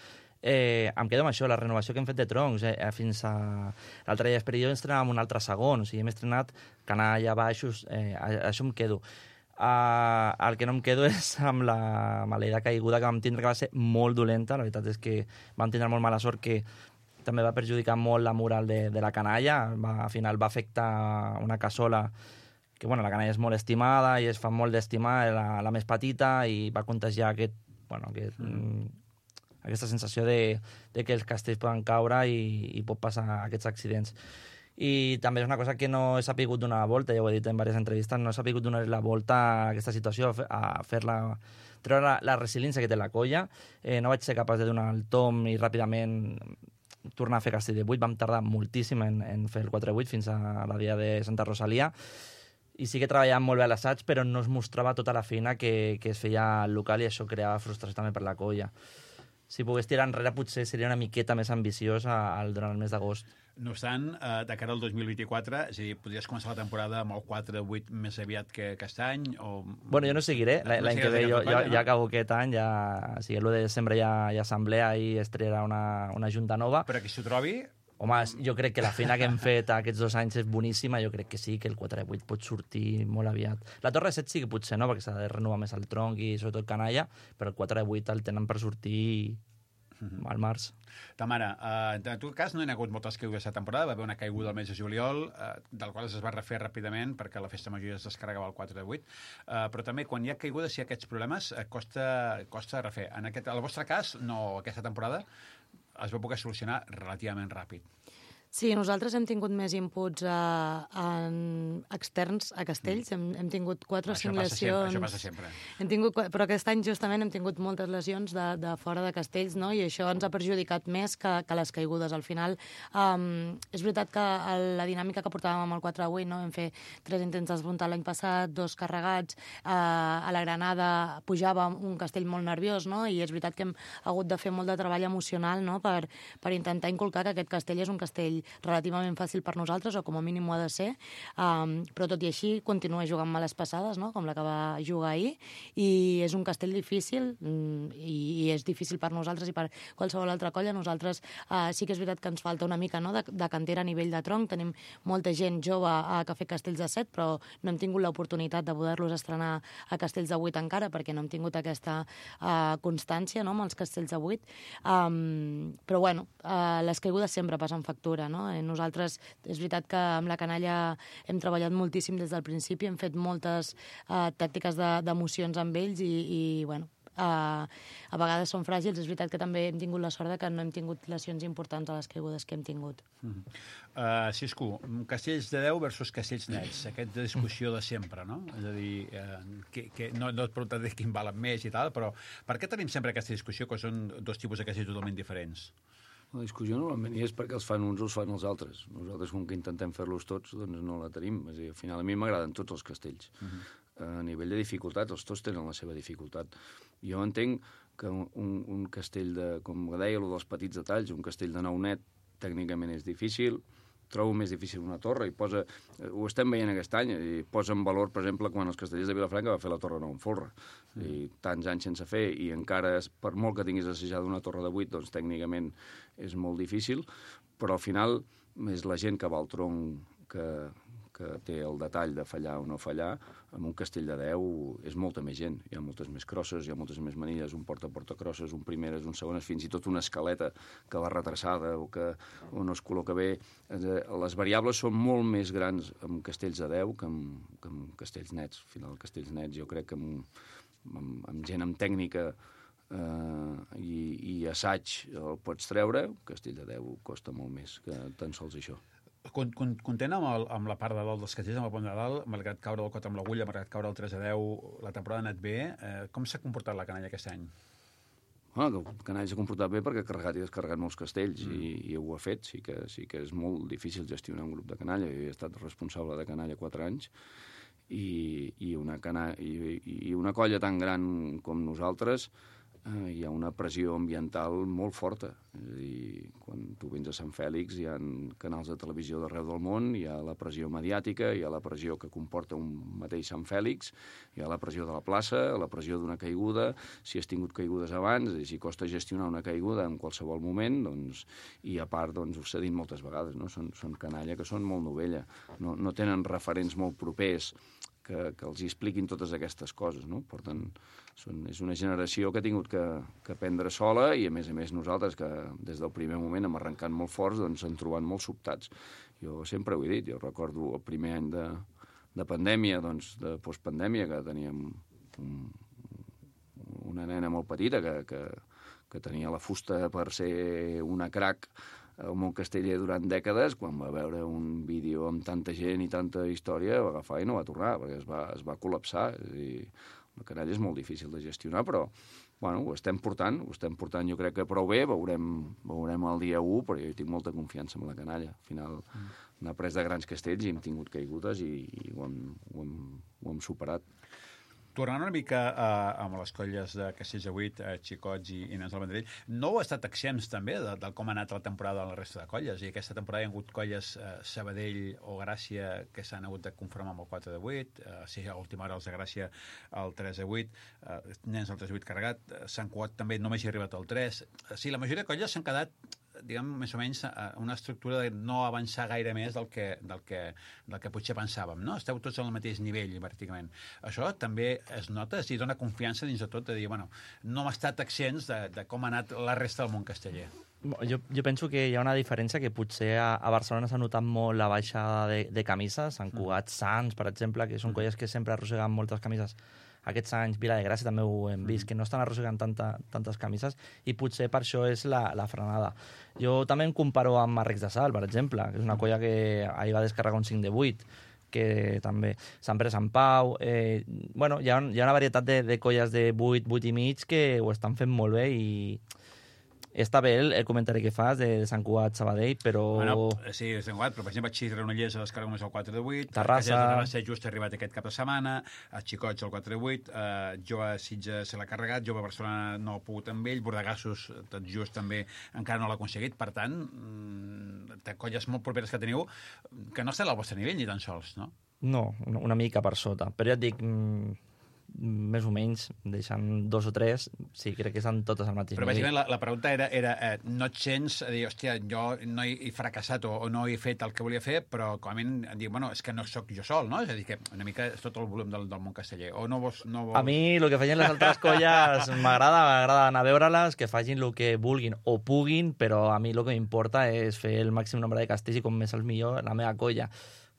Eh, em quedo amb això, la renovació que hem fet de troncs. Eh, fins a l'altre dia d'Esperidó estrenàvem un altre segon, o sigui, hem estrenat canalla, baixos, eh, a, això em quedo. Uh, el que no em quedo és amb la maleïda caiguda que vam tindre, que va ser molt dolenta. La veritat és que vam tindre molt mala sort, que també va perjudicar molt la moral de, de la canalla. Va, al final va afectar una cassola que, bueno, la canalla és molt estimada i es fa molt d'estimar, la, la més petita, i va contagiar aquest, bueno, aquest, mm. aquesta sensació de, de que els castells poden caure i, i pot passar aquests accidents. I també és una cosa que no he sapigut donar la volta, ja ho he dit en diverses entrevistes, no he sapigut donar la volta a aquesta situació, a fer-la, treure la, la resiliència que té la colla. Eh, no vaig ser capaç de donar el tom i ràpidament tornar a fer castell de vuit. Vam tardar moltíssim en, en fer el quatre vuit fins a la dia de Santa Rosalia. I sí que treballàvem molt bé a l'assaig, però no es mostrava tota la feina que, que es feia al local, i això creava frustració també per la colla. Si pogués tirar enrere, potser seria una miqueta més ambiciós al, durant el mes d'agost. No obstant, eh, de cara al dos mil vint-i-quatre, és a dir, podries començar la temporada amb el quatre vuit més aviat que aquest any? O... Bueno, jo no seguiré. L'any no que ve jo, jo, no? ja acabo aquest any, ja, o sigui, l'u de desembre hi ha, hi ha assemblea i es triarà una, una junta nova. Però qui s'ho trobi... Home, jo crec que la feina que hem fet aquests dos anys és boníssima. Jo crec que sí, que el quatre vuit pot sortir molt aviat. La Torre set sí que potser no, perquè s'ha de renovar més el tronc i sobretot canalla, però el quatre vuit el tenen per sortir al març. Tamara, eh, en tu cas no hi ha hagut moltes caigudes aquesta temporada, va haver una caiguda al mes de juliol, eh, del qual es va refer ràpidament perquè la festa major es descarregava el quatre de vuit, eh, però també quan hi ha caigudes i hi ha aquests problemes eh, costa, costa refer. En aquest, el vostre cas, no, aquesta temporada es va poder solucionar relativament ràpid. Sí, nosaltres hem tingut més inputs a, en externs a castells. Hem, hem tingut quatre o cinc lesions. Això passa sempre. Hem tingut, però aquest any justament hem tingut moltes lesions de, de fora de castells, no? I això ens ha perjudicat més que, que les caigudes. Al final, um, és veritat que el, la dinàmica que portàvem amb el quatre a vuit, no? Vam fer tres intents d'esbrontar l'any passat, dos carregats, uh, a la Granada pujava un castell molt nerviós, no? I és veritat que hem hagut de fer molt de treball emocional, no? per, per intentar inculcar que aquest castell és un castell relativament fàcil per nosaltres, o com a mínim ho ha de ser, um, però tot i així continua jugant males passades, no? Com la que va jugar ahir, i és un castell difícil, um, i, i és difícil per nosaltres i per qualsevol altra colla. Nosaltres uh, sí que és veritat que ens falta una mica, no? de, de cantera a nivell de tronc. Tenim molta gent jove uh, que ha fet castells de set, però no hem tingut l'oportunitat de poder-los estrenar a castells de vuit encara, perquè no hem tingut aquesta uh, constància, no? amb els castells de vuit. Um, però bueno, uh, les caigudes sempre passen factura, no? Nosaltres, és veritat que amb la canalla hem treballat moltíssim des del principi, hem fet moltes uh, tàctiques d'emocions de, amb ells i, i bueno, uh, a vegades són fràgils. És veritat que també hem tingut la sort de que no hem tingut lesions importants a les caigudes que hem tingut. Mm -hmm. uh, Cisco, castells de deu versus castells nets, aquesta discussió de sempre, no? És a dir, uh, que, que no, no et preguntaré quin valen més i tal, però per què tenim sempre aquesta discussió, que són dos tipus de castells totalment diferents? La discussió normalment és perquè els fan uns o els fan els altres. Nosaltres, com que intentem fer-los tots, doncs no la tenim. És a dir, al final, a mi m'agraden tots els castells. Uh -huh. A nivell de dificultat, els tots tenen la seva dificultat. Jo entenc que un, un castell de, com deia, el dels petits detalls, un castell de nou net, tècnicament és difícil. Trobo més difícil una torre, i posa, ho estem veient aquest any, i posa en valor, per exemple, quan els castellers de Vilafranca va fer la torre nou en folre, mm. i tants anys sense fer, i encara, per molt que tinguis assajat una torre de vuit, doncs tècnicament és molt difícil, però al final és la gent que va al tronc que, que té el detall de fallar o no fallar, amb un castell de deu és molta més gent. Hi ha moltes més crosses, hi ha moltes més manilles, un porta-porta-crosses, un primeres, un segones, fins i tot una escaleta que va retrasada o que o no es col·loca bé. Les variables són molt més grans amb castells de deu que amb, que amb castells nets. Al final, castells nets jo crec que amb, amb, amb gent amb tècnica eh, i, i assaig el pots treure, un castell de deu costa molt més que tan sols això. Content amb, el, amb la part de dalt dels castells, amb el pont de dalt, malgrat caure el cot amb l'agulla, malgrat caure el tres a deu, la temporada ha anat bé. Eh, com s'ha comportat la canalla aquest any? Ah, el canalla s'ha comportat bé perquè ha carregat i descarregat molts castells mm. i, i ho ha fet. Sí que, sí que és molt difícil gestionar un grup de canalla. Jo he estat responsable de canalla quatre anys i, i, una, cana, i, i una colla tan gran com nosaltres eh, hi ha una pressió ambiental molt forta. És a dir, quan tu vens a Sant Fèlix hi ha canals de televisió d'arreu del món, hi ha la pressió mediàtica, hi ha la pressió que comporta un mateix Sant Fèlix, hi ha la pressió de la plaça, la pressió d'una caiguda, si has tingut caigudes abans, i si costa gestionar una caiguda en qualsevol moment, doncs, i a part, doncs, s'ha dit moltes vegades, no? Són, són canalla que són molt novella, no, no tenen referents molt propers que, que els hi expliquin totes aquestes coses, no? Per tant, són, és una generació que ha tingut que, que aprendre sola i, a més a més, nosaltres, que des del primer moment hem arrencat molt forts, doncs s'han trobat molt sobtats. Jo sempre ho he dit, jo recordo el primer any de, de pandèmia, doncs, de postpandèmia, que teníem un, una nena molt petita que, que, que tenia la fusta per ser una crac al món casteller durant dècades, quan va veure un vídeo amb tanta gent i tanta història, va agafar i no va tornar, perquè es va, es va col·lapsar. És a dir, la canalla és molt difícil de gestionar, però bueno, ho estem portant, ho estem portant jo crec que prou bé, veurem, veurem el dia u, però jo tinc molta confiança en la canalla. Al final mm. n'ha pres de grans castells i hem tingut caigudes i, i ho, hem, ho, hem, ho hem superat. Tornant una mica uh, amb les colles de Castells de Vuit, uh, Xicots i, i Nens del Vendrell, no heu estat exempts també de, de com ha anat la temporada de la resta de colles? I aquesta temporada hi ha hagut colles uh, Sabadell o Gràcia que s'han hagut de conformar amb el quatre de vuit, uh, si a última hora els de Gràcia el tres de vuit, uh, Nens del tres de vuit carregat, uh, Sant Cugat també només hi ha arribat el tres. Uh, sí, la majoria de colles s'han quedat diguem, més o menys una estructura de no avançar gaire més del que, del que, del que potser pensàvem, no? Esteu tots al mateix nivell, pràcticament. Això també es nota, i dona confiança dins de tot, de dir, bueno, no hem estat exempts de, de com ha anat la resta del món casteller. Jo, jo penso que hi ha una diferència que potser a, a Barcelona s'ha notat molt la baixada de, de camises, Sant Cugat, Sants, per exemple, que són colles que sempre arrosseguen moltes camises. Aquests anys, Vila de Gràcia també ho hem vist, que no estan arrossegant tanta, tantes camises i potser per això és la, la frenada. Jo també em comparo amb Marrecs de Sal, per exemple, que és una colla que ahir va descarregar un cinc de vuit, que també Sant Pere Sant Pau. Eh, bueno, hi ha, hi ha una varietat de, de colles de vuit, vuit i mig que ho estan fent molt bé i està bé el, el comentari que fas de, de Sant Cugat, Sabadell, però... Bueno, sí, és Sant Cugat, però per exemple, Xis Granollers a descarrega només el quatre de vuit, Terrassa... Terrassa just ha arribat aquest cap de setmana, a Xicots el quatre de vuit, eh, Jove Sitges se l'ha carregat, Jove Barcelona no ha pogut amb ell, Bordegassos tot just també encara no l'ha aconseguit, per tant, mmm, colles molt properes que teniu que no estan al vostre nivell ni tan sols, no? No, una, una mica per sota, però ja et dic... Mmm... més o menys, deixant dos o tres, sí, crec que estan totes al mateix nivell. Però bàsicament la, la pregunta era, era eh, no et sents a dir, hòstia, jo no he, he fracassat o, o no he fet el que volia fer, però com a mínim dir, bueno, és que no sóc jo sol, no? És a dir, que una mica és tot el volum del, del món casteller. O no vols, no vols... A mi el que facin les altres colles m'agrada, m'agrada anar a veure-les, que facin el que vulguin o puguin, però a mi el que m'importa és fer el màxim nombre de castells i com més el millor la meva colla.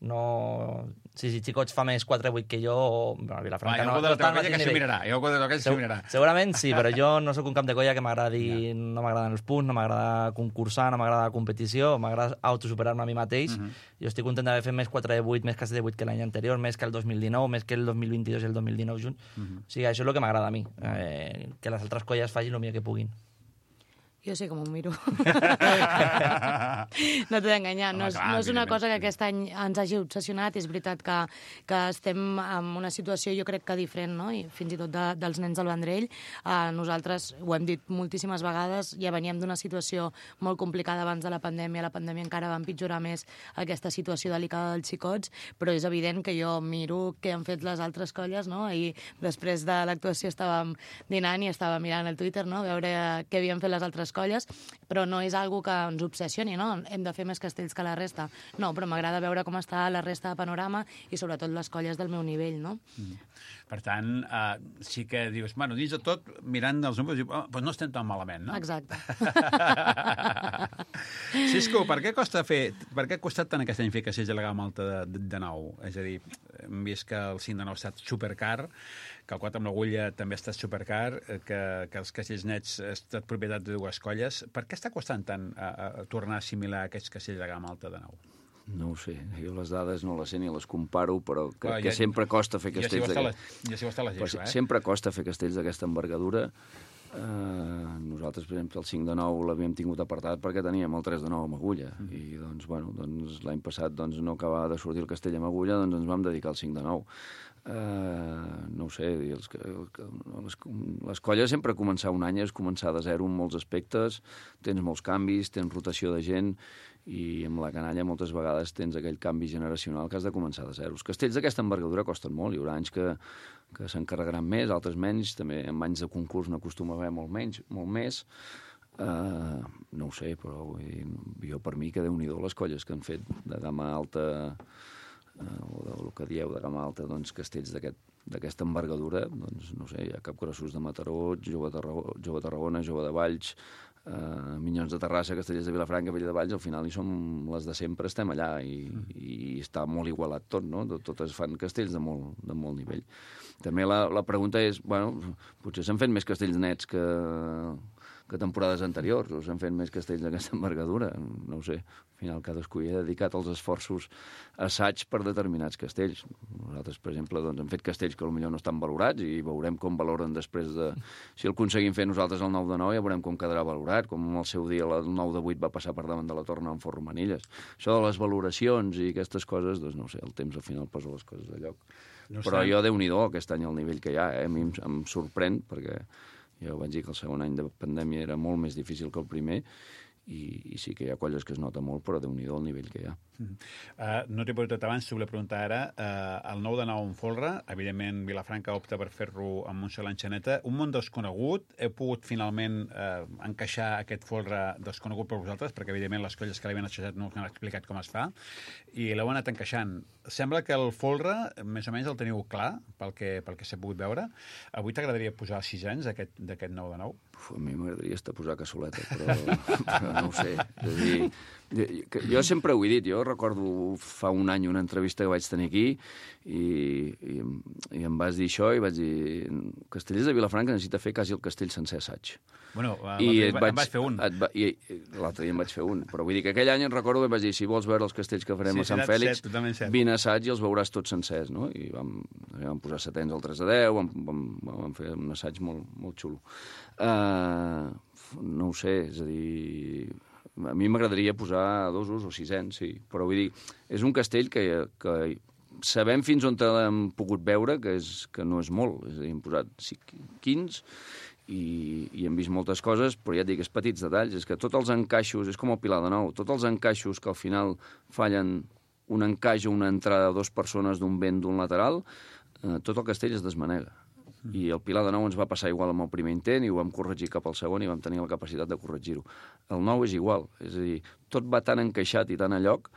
No... Si, si Xicots fa més quatre vuit que jo, bueno, a Vilafranca no... Hi ha algú de la teva colla que s'ho mirarà. Hi ha algú de la teva colla que s'ho mirarà. Segurament sí, però jo no sóc un cap de colla que m'agradi... No, no m'agraden els punts, no m'agrada concursar, no m'agrada la competició, m'agrada autosuperar-me a mi mateix. Uh -huh. Jo estic content d'haver fet més quatre de vuit, més castells de vuit que l'any anterior, més que el dos mil dinou, més que el dos mil vint-i-dos i el dos mil dinou junt. Uh -huh. O sigui, això és el que m'agrada a mi, eh, que les altres colles facin el millor que puguin. Jo sé com ho miro. No t'he d'enganyar. No, no és una cosa que aquest any ens hagi obsessionat. És veritat que, que estem en una situació, jo crec que diferent, no? I fins i tot de, dels Nens del Vendrell. Uh, nosaltres, ho hem dit moltíssimes vegades, ja veníem d'una situació molt complicada abans de la pandèmia. La pandèmia encara va empitjorar més aquesta situació delicada dels xicots, però és evident que jo miro què han fet les altres colles, no? I després de l'actuació estàvem dinant i estava mirant el Twitter, no? A veure què havien fet les altres les colles, però no és algo que ens obsessioni, no? Hem de fer més castells que la resta. No, però m'agrada veure com està la resta de panorama i sobretot les colles del meu nivell, no? Mm. Per tant, uh, sí que dius, bueno, dins de tot, mirant els números, dius, oh, doncs no estem tan malament, no? Exacte. Cisco, per què costa fer, per què ha costat tant aquest any fer castells de la gamma alta de, de, de nou? És a dir, hem vist que el cinc de nou ha estat supercar, que el quatre amb l'agulla també ha estat supercar, que, que els castells nets ha estat propietat de dues colles. Per què està costant tant a, a tornar a assimilar aquests castells de gamma alta de nou? No ho sé, jo les dades no les sé ni les comparo, però que, Clar, que ja, sempre costa fer castells... Ja s'hi va estar la gespa, eh? Sempre costa fer castells d'aquesta envergadura. Uh, nosaltres, per exemple, el cinc de nou l'havíem tingut apartat perquè teníem el tres de nou amb agulla. Mm. I doncs, bueno, doncs, l'any passat doncs, no acabava de sortir el castell amb agulla, doncs ens vam dedicar al cinc de nou. Uh, no ho sé, els, les, les colles sempre començar un any és començar de zero en molts aspectes, tens molts canvis, tens rotació de gent, i amb la canalla moltes vegades tens aquell canvi generacional que has de començar de zero. Els castells d'aquesta envergadura costen molt, hi haurà anys que, que s'encarregaran més, altres menys, també en anys de concurs n'acostuma a haver molt menys, molt més. Uh, no ho sé, però vull dir, jo per mi que Déu-n'hi-do les colles que han fet de gamma alta, uh, o del que dieu de gamma alta, doncs castells d'aquesta envergadura, doncs no sé, hi ha Capgrossos de Mataró, Jove de Tarragona, Jove de, Tarragona, Jove de Valls, Uh, Minyons de Terrassa, Castellers de Vilafranca, Vella de Valls, al final hi som les de sempre, estem allà i, mm. i està molt igualat tot, no? Totes fan castells de molt, de molt nivell. També la, la pregunta és, bueno, potser s'han fet més castells nets que, que temporades anteriors, o s'han fet més castells d'aquesta envergadura, no ho sé. Al final cadascú hi ha dedicat els esforços assaig per determinats castells. Nosaltres, per exemple, doncs, hem fet castells que potser no estan valorats i veurem com valoren després de... Si el aconseguim fer nosaltres el nou de nou, ja veurem com quedarà valorat, com al seu dia el nou de vuit va passar per davant de la torna amb Fort Romanilles. Això de les valoracions i aquestes coses, doncs no sé, el temps al final posa les coses a lloc. No Però jo, Déu-n'hi-do, aquest any el nivell que hi ha, eh? A mi em, em sorprèn, perquè jo vaig dir que el segon any de pandèmia era molt més difícil que el primer, i, i sí que hi ha colles que es nota molt, però Déu-n'hi-do el nivell que hi ha. Uh, no t'he preguntat abans, t'ho volia preguntar ara. Uh, el nou de nou en folre, evidentment Vilafranca opta per fer-lo amb Montserrat Xaneta. Un món desconegut, heu pogut finalment uh, encaixar aquest folre desconegut per vosaltres, perquè evidentment les colles que l'havien assajat no us han explicat com es fa, i l'heu anat encaixant. Sembla que el folre, més o menys el teniu clar, pel que, pel que s'ha pogut veure. Avui t'agradaria posar sis anys d'aquest nou de nou? Uf, a mi m'agradaria estar posar cassoleta, però, però no ho sé. És a dir, jo, jo sempre ho he dit, jo recordo fa un any una entrevista que vaig tenir aquí i, i, i em vas dir això i vaig dir Castellers de Vilafranca necessita fer quasi el castell sencer assaig. Bueno, l'altre dia em vaig fer un. Va, i l'altre dia em vaig fer un, però vull dir que aquell any em recordo que vaig dir, si vols veure els castells que farem sí, a Sant Fèlix, cert, vine a assaig i els veuràs tots sencers, no? I vam, vam posar setens al tres a deu, vam, vam, vam fer un assaig molt, molt xulo. Uh, no ho sé, és a dir... A mi m'agradaria posar dosos o sisens, sí, però vull dir, és un castell que, que sabem fins on l'hem pogut veure, que, és, que no és molt, és a dir, hem posat quinze i, i hem vist moltes coses, però ja et dic, és petits detalls, és que tots els encaixos, és com el Pilar de Nou, tots els encaixos que al final fallen un encaix o una entrada de dues persones d'un vent d'un lateral, eh, tot el castell es desmanega. I el Pilar de Nou ens va passar igual amb el primer intent i ho vam corregir cap al segon i vam tenir la capacitat de corregir-ho. El nou és igual, és a dir, tot va tan encaixat i tan a lloc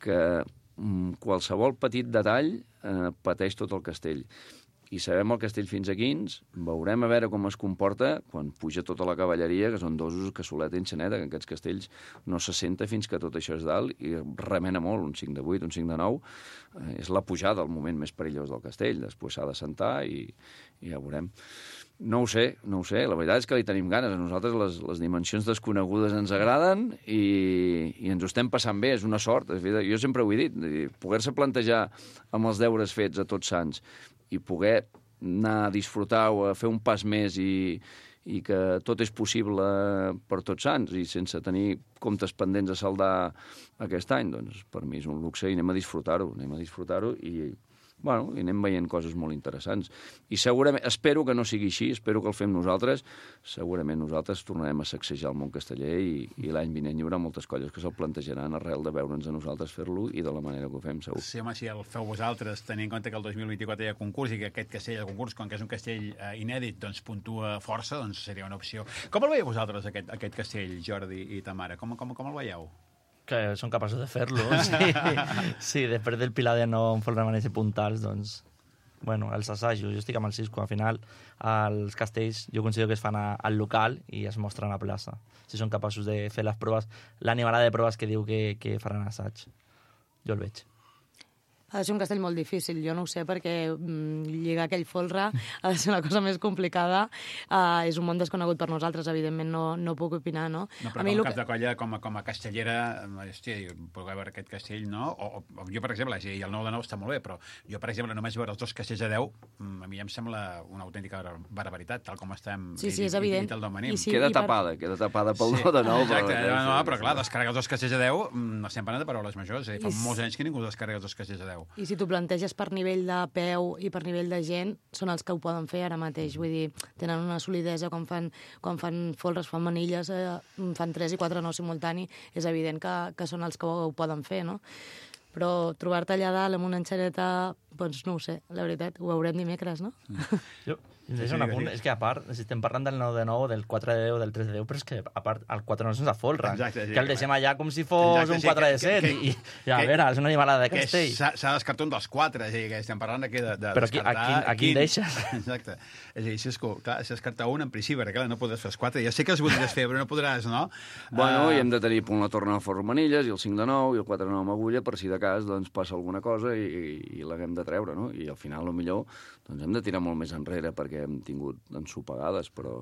que mm, qualsevol petit detall eh, pateix tot el castell. I sabem el castell fins a quins, veurem a veure com es comporta quan puja tota la cavalleria, que són dosos, cassoleta i enxaneta, que en aquests castells no se senta fins que tot això és dalt i remena molt, un cinc de vuit, un cinc de nou, eh, és la pujada, el moment més perillós del castell, després s'ha de sentar i, i ja veurem. No ho sé, no ho sé, la veritat és que li tenim ganes, a nosaltres les, les dimensions desconegudes ens agraden i, i ens ho estem passant bé, és una sort, jo sempre ho he dit, poder-se plantejar amb els deures fets a Tots Sants i poder anar a disfrutar o a fer un pas més i, i que tot és possible per Tots Sants i sense tenir comptes pendents a saldar aquest any, doncs per mi és un luxe i anem a disfrutar-ho, anem a disfrutar-ho i bueno, i anem veient coses molt interessants. I segurament, espero que no sigui així, espero que el fem nosaltres, segurament nosaltres tornarem a sacsejar el món casteller i, i l'any vinent hi haurà moltes colles que se'l plantejaran arrel de veure'ns a nosaltres fer-lo i de la manera que ho fem, segur. Sí, home, si el feu vosaltres, tenint en compte que el dos mil vint-i-quatre hi ha concurs i que aquest castell de concurs, com que és un castell eh, inèdit, doncs puntua força, doncs seria una opció. Com el veieu vosaltres, aquest, aquest castell, Jordi i Tamara? Com, com, com el veieu? Que són capaços de fer-lo. Sí. Sí, després del Pilar de no remanents puntals, doncs... Bueno, els assajos, jo estic amb el Cisco, al final els castells jo considero que es fan a, al local i es mostren a la plaça. Si són capaços de fer les proves, l'animalada de proves que diu que, que faran assaig. Jo el veig. Ha de ser un castell molt difícil, jo no ho sé, perquè mm, lligar aquell folre ha de ser una cosa més complicada. Uh, és un món desconegut per nosaltres, evidentment no, no puc opinar, no? No, però a mi com a que... cap de colla, com a, com a castellera, hòstia, puc veure aquest castell, no? O, o jo, per exemple, i el nou de nou està molt bé, però jo, per exemple, només veure els dos castells de deu, a mi em sembla una autèntica barbaritat, tal com estem... Sí, sí, és evident. I, i, i I sí, queda per... tapada, queda tapada pel sí. nou de nou. Exacte, però... no, no, però clar, descarregar els dos castells de deu, no estem parlant de paraules majors, eh? Fa I... molts anys que ningú descarrega els dos castells de deu. I si t'ho planteges per nivell de peu i per nivell de gent, són els que ho poden fer ara mateix. Vull dir, tenen una solidesa quan fan, quan fan folres, fan manilles, eh, fan tres i quatre no simultani, és evident que, que són els que ho, ho poden fer, no? Però trobar-te allà dalt amb una enxaneta, doncs no ho sé, la veritat, ho veurem dimecres, no? Jo, sí, sí, un apunt, és que a part, si estem parlant del nou de nou, del quatre de deu, del tres de deu, però és que a part el quatre de nou sense folre, Exacte, sí, que el deixem allà com si fos Exacte, un sí, quatre de set, que, que, i, i a que, veure, és una animalada de castell. S'ha descartat un dels quatre, és a dir, que estem parlant aquí de, de però aquí, descartar... Però aquí en deixes? Exacte. És a dir, si és, clar, si descartar un en principi, perquè clar, no podràs fer els quatre. Ja sé que els voldries fer, però no podràs, no? Bueno, uh... i hem de tenir punt la torna a Fort Manilles, i el cinc de nou, i el quatre de nou amb agulla, per si de cas doncs, passa alguna cosa i, i, i l'haguem de treure, no? I al final, potser, doncs, hem de tirar molt més enrere perquè hem tingut ensopegades, però,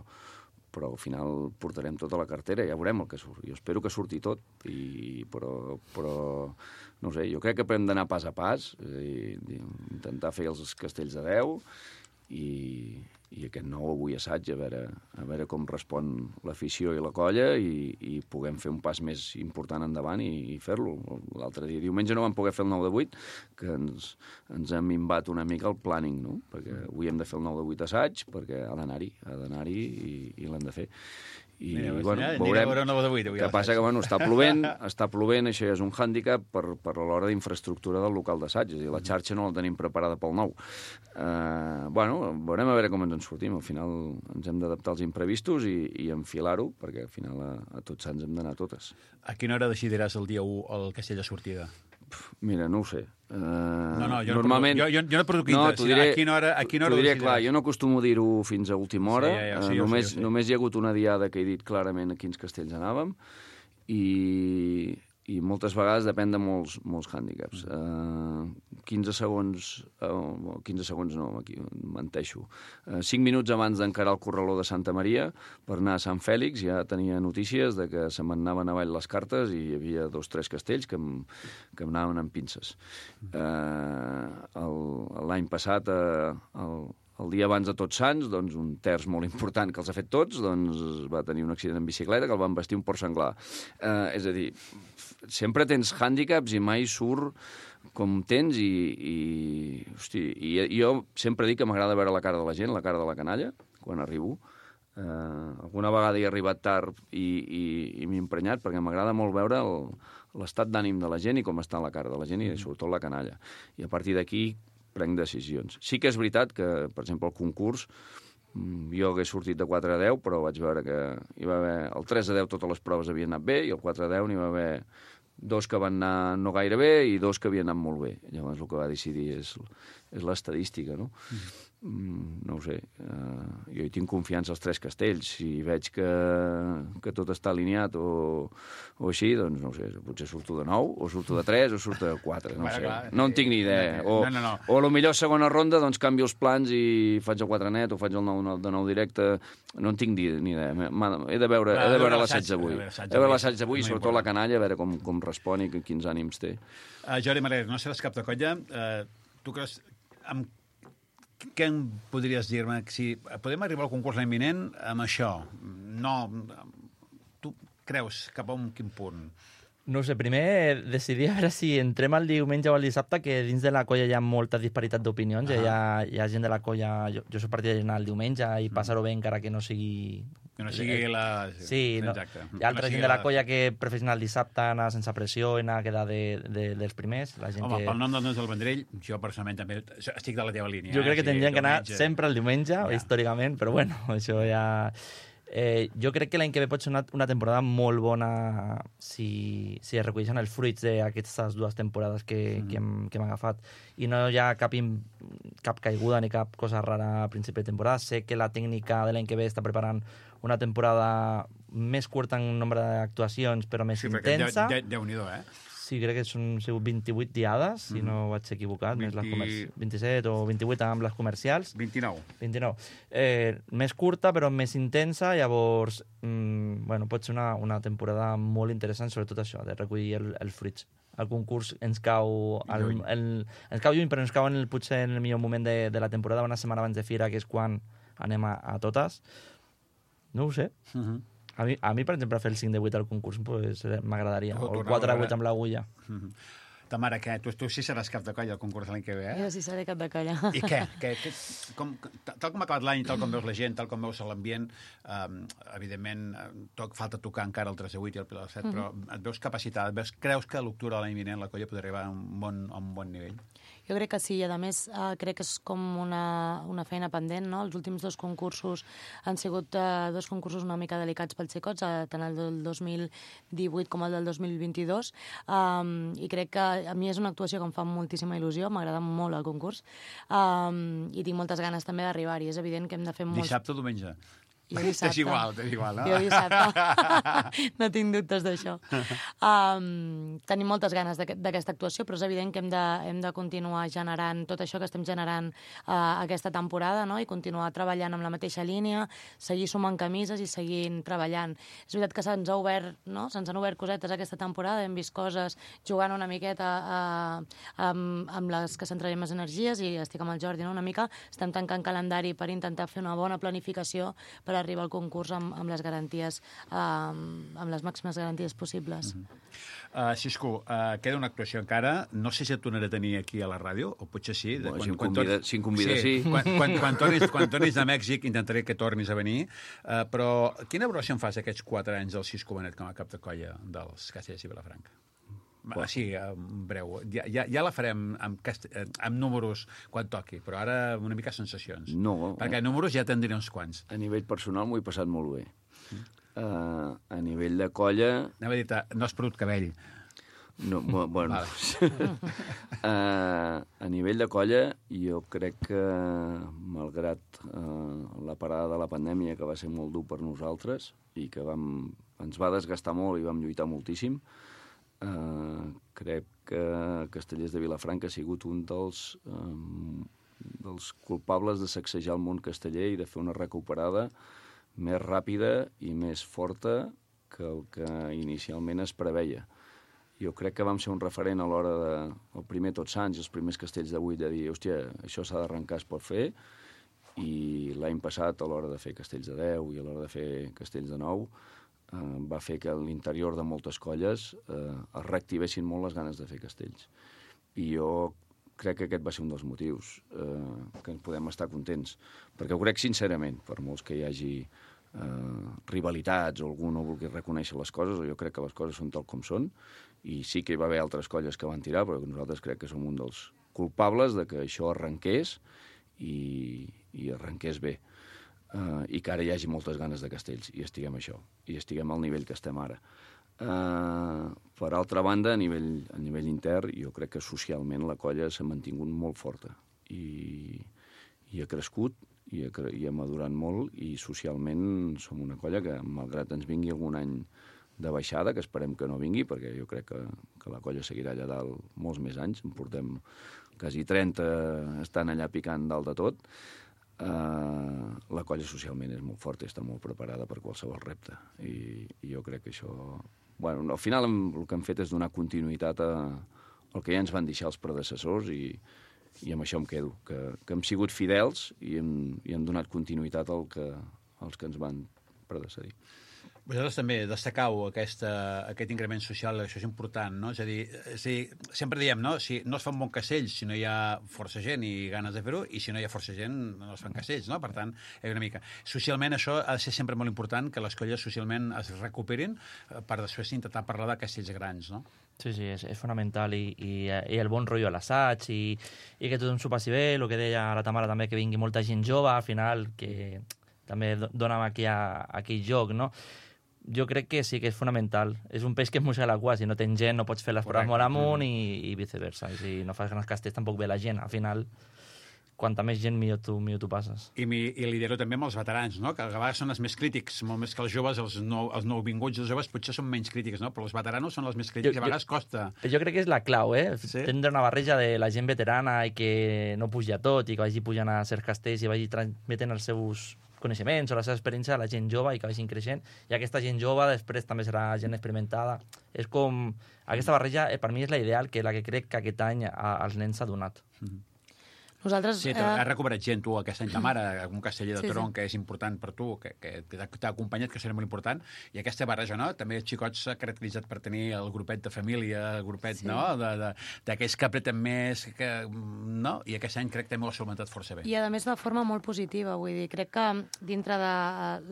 però al final portarem tota la cartera, ja veurem el que surt. Jo espero que surti tot, i, però, però no sé, jo crec que hem d'anar pas a pas, és a dir, intentar fer els castells de deu, i, i aquest nou avui assaig, a veure, a veure com respon l'afició i la colla i, i puguem fer un pas més important endavant i, i fer-lo. L'altre dia, diumenge, no vam poder fer el nou de vuit, que ens, ens ha minvat una mica el planning, no? Perquè avui hem de fer el nou de vuit assaig, perquè ha d'anar-hi, ha d'anar-hi i, i l'hem de fer. I, Mira, bueno, ja, veurem vuit, que passa que, bueno, està plovent, està plovent, això ja és un hàndicap per, per l'hora d'infraestructura del local d'assaig, és a dir, la xarxa no la tenim preparada pel nou. Uh, bueno, veurem a veure com ens en sortim, al final ens hem d'adaptar als imprevistos i, i enfilar-ho, perquè al final a, a tots sants hem d'anar totes. A quina hora decidiràs el dia u el castell de sortida? Mira, no ho sé. Uh, no, no, jo normalment... no, jo, jo no produc interès. No, diré, a quina hora, a quina hora diré, clar, jo no acostumo a dir-ho fins a última hora. Sí, ja, ja, sí, uh, només, sí, sí. només hi ha hagut una diada que he dit clarament a quins castells anàvem i, i moltes vegades depèn de molts, molts hàndicaps. Uh, quinze segons... Uh, quinze segons no, aquí menteixo. Uh, cinc minuts abans d'encarar el corraló de Santa Maria per anar a Sant Fèlix ja tenia notícies de que se m'anaven avall les cartes i hi havia dos o tres castells que em, que em anaven amb pinces. Uh, L'any passat, uh, el, el dia abans de Tots Sants, doncs, un terç molt important que els ha fet tots, doncs, va tenir un accident en bicicleta que el van vestir un porc senglar. Uh, és a dir, sempre tens hàndicaps i mai surt com tens i, i, hosti, i jo sempre dic que m'agrada veure la cara de la gent, la cara de la canalla, quan arribo. Uh, alguna vegada he arribat tard i, i, i m'he emprenyat perquè m'agrada molt veure l'estat d'ànim de la gent i com està la cara de la gent i sobretot la canalla. I a partir d'aquí prenc decisions. Sí que és veritat que, per exemple, el concurs, jo hagués sortit de quatre a deu, però vaig veure que hi va haver... El tres a deu totes les proves havien anat bé i el quatre a deu n'hi va haver dos que van anar no gaire bé i dos que havien anat molt bé. Llavors el que va decidir és, és l'estadística, no? Mm, no ho sé. Uh, jo hi tinc confiança als tres castells. Si veig que, que tot està alineat o, o així, doncs no ho sé, potser surto de nou, o surto de tres, o surto de quatre, no bueno, sé. Clar, no en tinc ni idea. O, no, no, no. o a lo millor segona ronda, doncs canvio els plans i faig el quatre net o faig el nou de nou directe. No en tinc ni, ni idea. He de veure, he de veure l'assaig d'avui. He de veure l'assaig d'avui, sobretot la canalla, a veure com, com respon i quins ànims té. Uh, Jordi Marrer, no seràs cap de colla. Uh, tu creus... Amb què em podries dir-me? Si podem arribar al concurs l'any vinent amb això? No... Tu creus cap a un quin punt? No ho sé, primer decidir a veure si entrem el diumenge o el dissabte, que dins de la colla hi ha molta disparitat d'opinions. Ah. Hi, ha, hi ha gent de la colla... Jo, jo soc partidari d'anar el diumenge i passar-ho bé encara que no sigui... Que no sigui la... Sí, no. Hi ha altra no gent de la colla que prefereix anar el dissabte, anar sense pressió, anar a quedar de, de, dels primers. La gent Home, que... pel nom del Nons del Vendrell, jo personalment també estic de la teva línia. Jo crec que eh? tindrien sí, que anar diumenge. sempre el diumenge, ja. històricament, però bueno, això ja... Eh, jo crec que l'any que ve pot ser una, una temporada molt bona si, si es reculleixen els fruits d'aquestes dues temporades que, mm. que, hem, que hem agafat i no hi ha cap, im, cap caiguda ni cap cosa rara a principi de temporada. Sé que la tècnica de l'any que ve està preparant una temporada més curta en nombre d'actuacions però més sí, intensa. De, de, Déu-n'hi-do, eh? Sí, crec que són vint-i-vuit diades, si mm. no vaig equivocat, vint... més les comerci... vint-i-set o vint-i-vuit amb les comercials. vint-i-nou. vint-i-nou. Eh, més curta, però més intensa, llavors, mm, bueno, pot ser una, una temporada molt interessant, sobretot això, de recollir el, els fruits. El concurs ens cau, el, el, ens cau lluny, però ens cau en el, potser en el millor moment de, de la temporada, una setmana abans de Fira, que és quan anem a, a totes. No ho sé. Uh -huh. A mi, a mi, per exemple, fer el cinc de vuit al concurs pues, m'agradaria, o el quatre de vuit amb l'agulla. Mm-hmm. Ta mare, què? Tu, tu sí seràs cap de colla al concurs l'any que ve, eh? Jo sí seré cap de colla. I què? què, què com, tal com ha acabat l'any, tal com veus la gent, tal com veus l'ambient, um, evidentment, to, falta tocar encara el tres de vuit i el Pilar set, mm-hmm. però et veus capacitat, veus, creus que a l'octubre de l'any vinent la colla podria arribar a un bon, a un bon nivell? Jo crec que sí, i a més eh, crec que és com una, una feina pendent, no? Els últims dos concursos han sigut eh, dos concursos una mica delicats pels xicots, eh, tant el del dos mil divuit com el del dos mil vint-i-dos, um, i crec que a mi és una actuació que em fa moltíssima il·lusió, m'agrada molt el concurs, um, i tinc moltes ganes també d'arribar-hi. És evident que hem de fer molts... Dissabte o diumenge? Jo dissabte. T'és igual, t'és igual, no? Jo dissabte. No tinc dubtes d'això. Um, tenim moltes ganes d'aquesta actuació, però és evident que hem de, hem de continuar generant tot això que estem generant uh, aquesta temporada, no? I continuar treballant amb la mateixa línia, seguir sumant camises i seguint treballant. És veritat que se'ns ha obert, no? Se'ns han obert cosetes aquesta temporada, hem vist coses jugant una miqueta uh, amb, amb les que centrarem les energies, i estic amb el Jordi, no? Una mica estem tancant calendari per intentar fer una bona planificació per arribar al concurs amb, amb les garanties, eh, amb les màximes garanties possibles. Uh -huh. uh, Xisco, uh, queda una actuació encara. No sé si et tornaré a tenir aquí a la ràdio, o potser sí. Bueno, quan, si, em convida, tornis... si em convida, sí. sí. Quan, quan, quan, tornis, quan tornis de Mèxic intentaré que tornis a venir. Uh, però quina valoració en fas aquests quatre anys del Xisco Benet com a cap de colla dels Castellers i Vilafranca? Bueno. Sí, en breu. Ja, ja, ja la farem amb, amb números quan toqui, però ara una mica sensacions. No. Perquè números ja te'n diré uns quants. A nivell personal m'ho he passat molt bé. Mm. Uh, a nivell de colla... Anava a dir, no has perdut cabell. No, bueno... Vale. uh, a nivell de colla, jo crec que, malgrat uh, la parada de la pandèmia, que va ser molt dur per nosaltres, i que vam, ens va desgastar molt i vam lluitar moltíssim, Uh, crec que Castellers de Vilafranca ha sigut un dels, um, dels culpables de sacsejar el món casteller i de fer una recuperada més ràpida i més forta que el que inicialment es preveia. Jo crec que vam ser un referent a l'hora de... El primer Tots Sants, els primers castells de vuit, de dir, hòstia, això s'ha d'arrencar, es pot fer, i l'any passat, a l'hora de fer castells de deu i a l'hora de fer castells de nou, Uh, va fer que a l'interior de moltes colles uh, es reactivessin molt les ganes de fer castells. I jo crec que aquest va ser un dels motius uh, que ens podem estar contents. Perquè ho crec sincerament, per molts que hi hagi uh, rivalitats o algú no vulgui reconèixer les coses, jo crec que les coses són tal com són, i sí que hi va haver altres colles que van tirar, però nosaltres crec que som un dels culpables de que això arrenqués i, i arrenqués bé. Uh, i que ara hi hagi moltes ganes de castells, i estiguem això, i estiguem al nivell que estem ara. Uh, per altra banda, a nivell, a nivell intern, jo crec que socialment la colla s'ha mantingut molt forta, i, i ha crescut, i ha, i ha madurat molt, i socialment som una colla que, malgrat ens vingui algun any de baixada, que esperem que no vingui, perquè jo crec que, que la colla seguirà allà dalt molts més anys, en portem quasi trenta estan allà picant dalt de tot. Uh, la colla socialment és molt forta i està molt preparada per qualsevol repte, i, i jo crec que això, bueno, al final el que hem fet és donar continuïtat a, al que ja ens van deixar els predecessors, i, i amb això em quedo, que, que hem sigut fidels i hem, i hem donat continuïtat al que, als que ens van predecedir. Vosaltres també destacau aquesta, aquest increment social, això és important, no? És a dir, és a dir, sempre diem, no? Si no es fa un bon castell, si no hi ha força gent i ganes de fer-ho, i si no hi ha força gent, no es fan castells, no? Per tant, és una mica. Socialment, això ha de ser sempre molt important, que les colles socialment es recuperin per després intentar parlar de castells grans, no? Sí, sí, és, és fonamental, i, i, i el bon rotllo a l'assaig, i, i que tothom s'ho passi bé, el que deia la Tamara també, que vingui molta gent jove, al final, que també dona'm aquí a, aquell joc, no? Jo crec que sí que és fonamental. És un peix que es mossega la cua. Si no tens gent, no pots fer les proves molt amunt i, i viceversa. I si no fas grans castells, tampoc ve la gent. Al final, quanta més gent, millor tu, millor tu passes. I, mi, i lidero també amb els veterans, no? Que a vegades són els més crítics, molt més que els joves, els, nou, els nouvinguts, els joves potser són menys crítics, no? Però els veteranos són els més crítics, jo, a vegades jo, costa. Jo crec que és la clau, eh? Sí? Tindre una barreja de la gent veterana i que no pugi a tot, i que vagi pujant a certs castells i vagi transmetent els seus coneixements o la seva experiència a la gent jove i que vagin creixent, i aquesta gent jove després també serà gent experimentada. És com... Aquesta barreja, eh, per mi, és la ideal, que la que crec que aquest any a, als nens s'ha donat. Mm-hmm. Nosaltres... Sí, has recuperat gent, tu, aquest any, ta mare, un casteller de sí, tronc sí. que és important per tu, que, que t'ha acompanyat, que serà molt important, i aquesta barreja, no? També els xicots s'ha caracteritzat per tenir el grupet de família, el grupet, sí. no?, d'aquells que apreten més, que, no? I aquest any crec que també ho ha solventat força bé. I, a més, de forma molt positiva, vull dir, crec que dintre de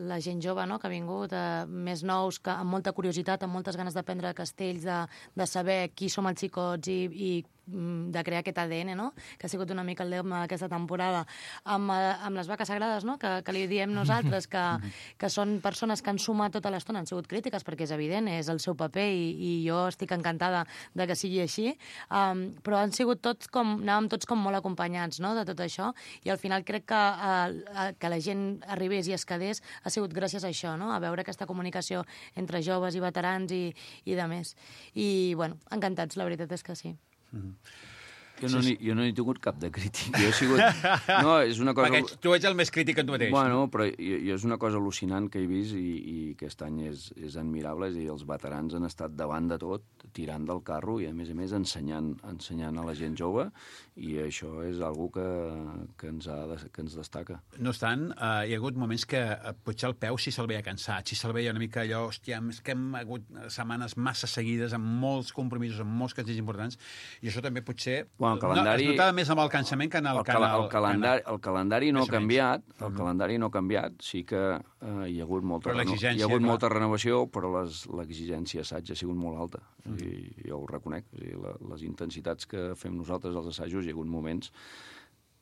la gent jove, no?, que ha vingut, eh, més nous, que amb molta curiositat, amb moltes ganes d'aprendre castells, de, de saber qui som els xicots i, i de crear aquest A D N, no?, que ha sigut una mica el lema d'aquesta temporada, amb, amb les vaques sagrades, no?, que, que li diem nosaltres, que, que són persones que han sumat tota l'estona, han sigut crítiques, perquè és evident, és el seu paper, i, i jo estic encantada de que sigui així, um, però han sigut tots com, anàvem tots com molt acompanyats, no?, de tot això, i al final crec que, uh, que la gent arribés i es quedés ha sigut gràcies a això, no?, a veure aquesta comunicació entre joves i veterans i, i de més. I, bueno, encantats, la veritat és que sí. Mm-hmm. Jo no, sí, sí. jo no he tingut cap de crític. Jo he sigut... No, és una cosa... Perquè tu ets el més crític en tu mateix. Bueno, però jo, jo és una cosa al·lucinant que he vist i, i aquest any és, és admirable. És a dir, els veterans han estat davant de tot, tirant del carro i, a més a més, ensenyant, ensenyant a la gent jove, i això és algo que, que, ens, ha de, que ens destaca. No obstant, uh, hi ha hagut moments que uh, potser el peu sí se'l veia cansat, sí se'l veia una mica allò, hòstia, és que hem hagut setmanes massa seguides amb molts compromisos, amb molts castells importants, i això també potser... Bueno, el calendari... No, es notava més amb el cansament que en el, el, cal canal, el, calendari, el calendari no ha canviat, el uh-huh. calendari no ha canviat, sí que uh, hi ha hagut molta, però reno... hi ha hagut clar. molta renovació, però l'exigència assaig ha sigut molt alta, uh-huh. i jo ho reconec. O sigui, la, les intensitats que fem nosaltres als assajos, hi ha hagut moments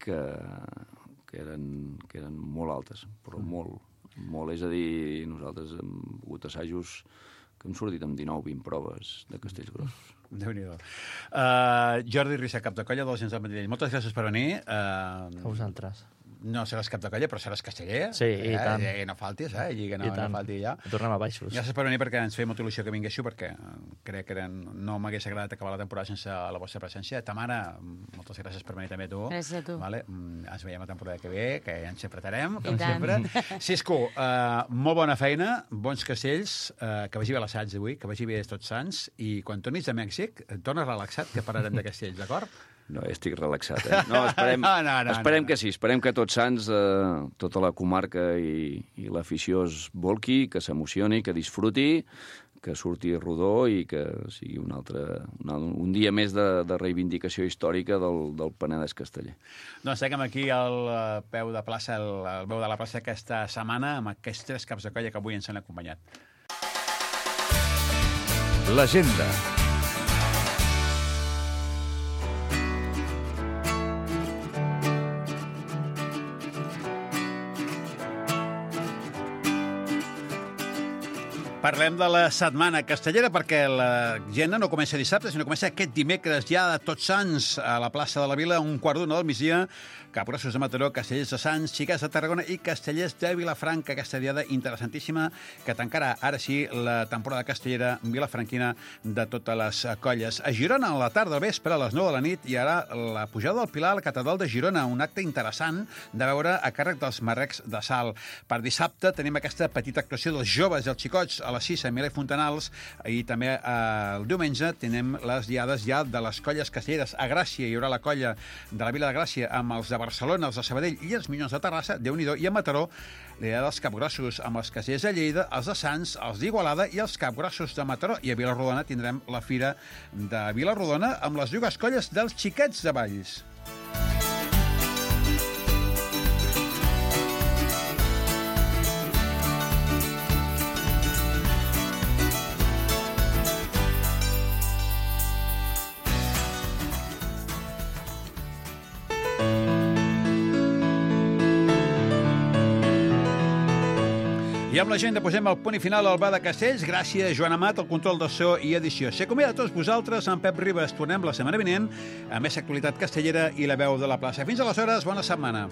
que, que, eren, que eren molt altes, però uh-huh. molt, molt. És a dir, nosaltres hem hagut assajos que hem sortit amb dinou vint proves de castells grossos. Déu-n'hi-do. Uh, Jordi Rissa, cap de colla dels Gens del Vendrell. Moltes gràcies per venir. Uh, a vosaltres. No seràs cap de colla, però seràs casteller. Sí, i eh? tant. I no faltis, eh? I que no, I tant. no falti ja. Tornem a baixos. Gràcies per venir, perquè ens feia molta il·lusió que vinguéssiu, perquè crec que eren... no m'hagués agradat acabar la temporada sense la vostra presència. Tamara, moltes gràcies per venir també tu. Gràcies a tu. Vale? Ens veiem la temporada que ve, que ja ens apretarem, I com tant. sempre. Cisco, uh, molt bona feina, bons castells, uh, que vagi bé l'assaig d'avui, que vagi bé Tots Sants, i quan tornis de Mèxic, tornes relaxat, que parlarem de castells, d'acord? No, estic relaxat, eh? No, esperem, no, no, no, esperem no. que sí, esperem que Tots Sants, eh, tota la comarca i, i l'afició es volqui, que s'emocioni, que disfruti, que surti rodó i que sigui un, altre, un, un dia més de, de reivindicació històrica del, del Penedès casteller. Doncs seguim aquí al peu de plaça, al, al peu de la plaça aquesta setmana, amb aquests tres caps de colla que avui ens han acompanyat. L'agenda. Parlem de la setmana castellera, perquè la gent no comença dissabte, sinó comença aquest dimecres ja de Tots Sants a la plaça de la Vila, un quart d'una del migdia, Capgrossos de Mataró, Castellers de Sants, Xiquets de Tarragona i Castellers de Vilafranca, aquesta diada interessantíssima que tancarà ara sí la temporada castellera vilafranquina de totes les colles. A Girona, a la tarda al vespre, a les nou de la nit, hi haurà la pujada del Pilar a la catedral de Girona, un acte interessant de veure a càrrec dels marrecs de sal. Per dissabte tenim aquesta petita actuació dels joves i els xicots a les les sis a Milà i Fontanals, i també eh, el diumenge tenem les diades ja de les colles castelleres. A Gràcia hi haurà la colla de la Vila de Gràcia amb els de Barcelona, els de Sabadell i els Minyons de Terrassa, Déu-n'hi-do, i a Mataró la diada dels Capgrossos amb els castellers de Lleida, els de Sants, els d'Igualada i els Capgrossos de Mataró. I a Vilarrodona tindrem la fira de Vilarrodona amb les dues colles dels Xiquets de Valls. I amb la gent posem el punt i final al Bar de Castells. Gràcies, Joan Amat, el control de so i edició. S'acomiada a tots vosaltres, amb Pep Ribas. Tornem la setmana vinent amb més actualitat castellera i la veu de la plaça. Fins aleshores, bona setmana.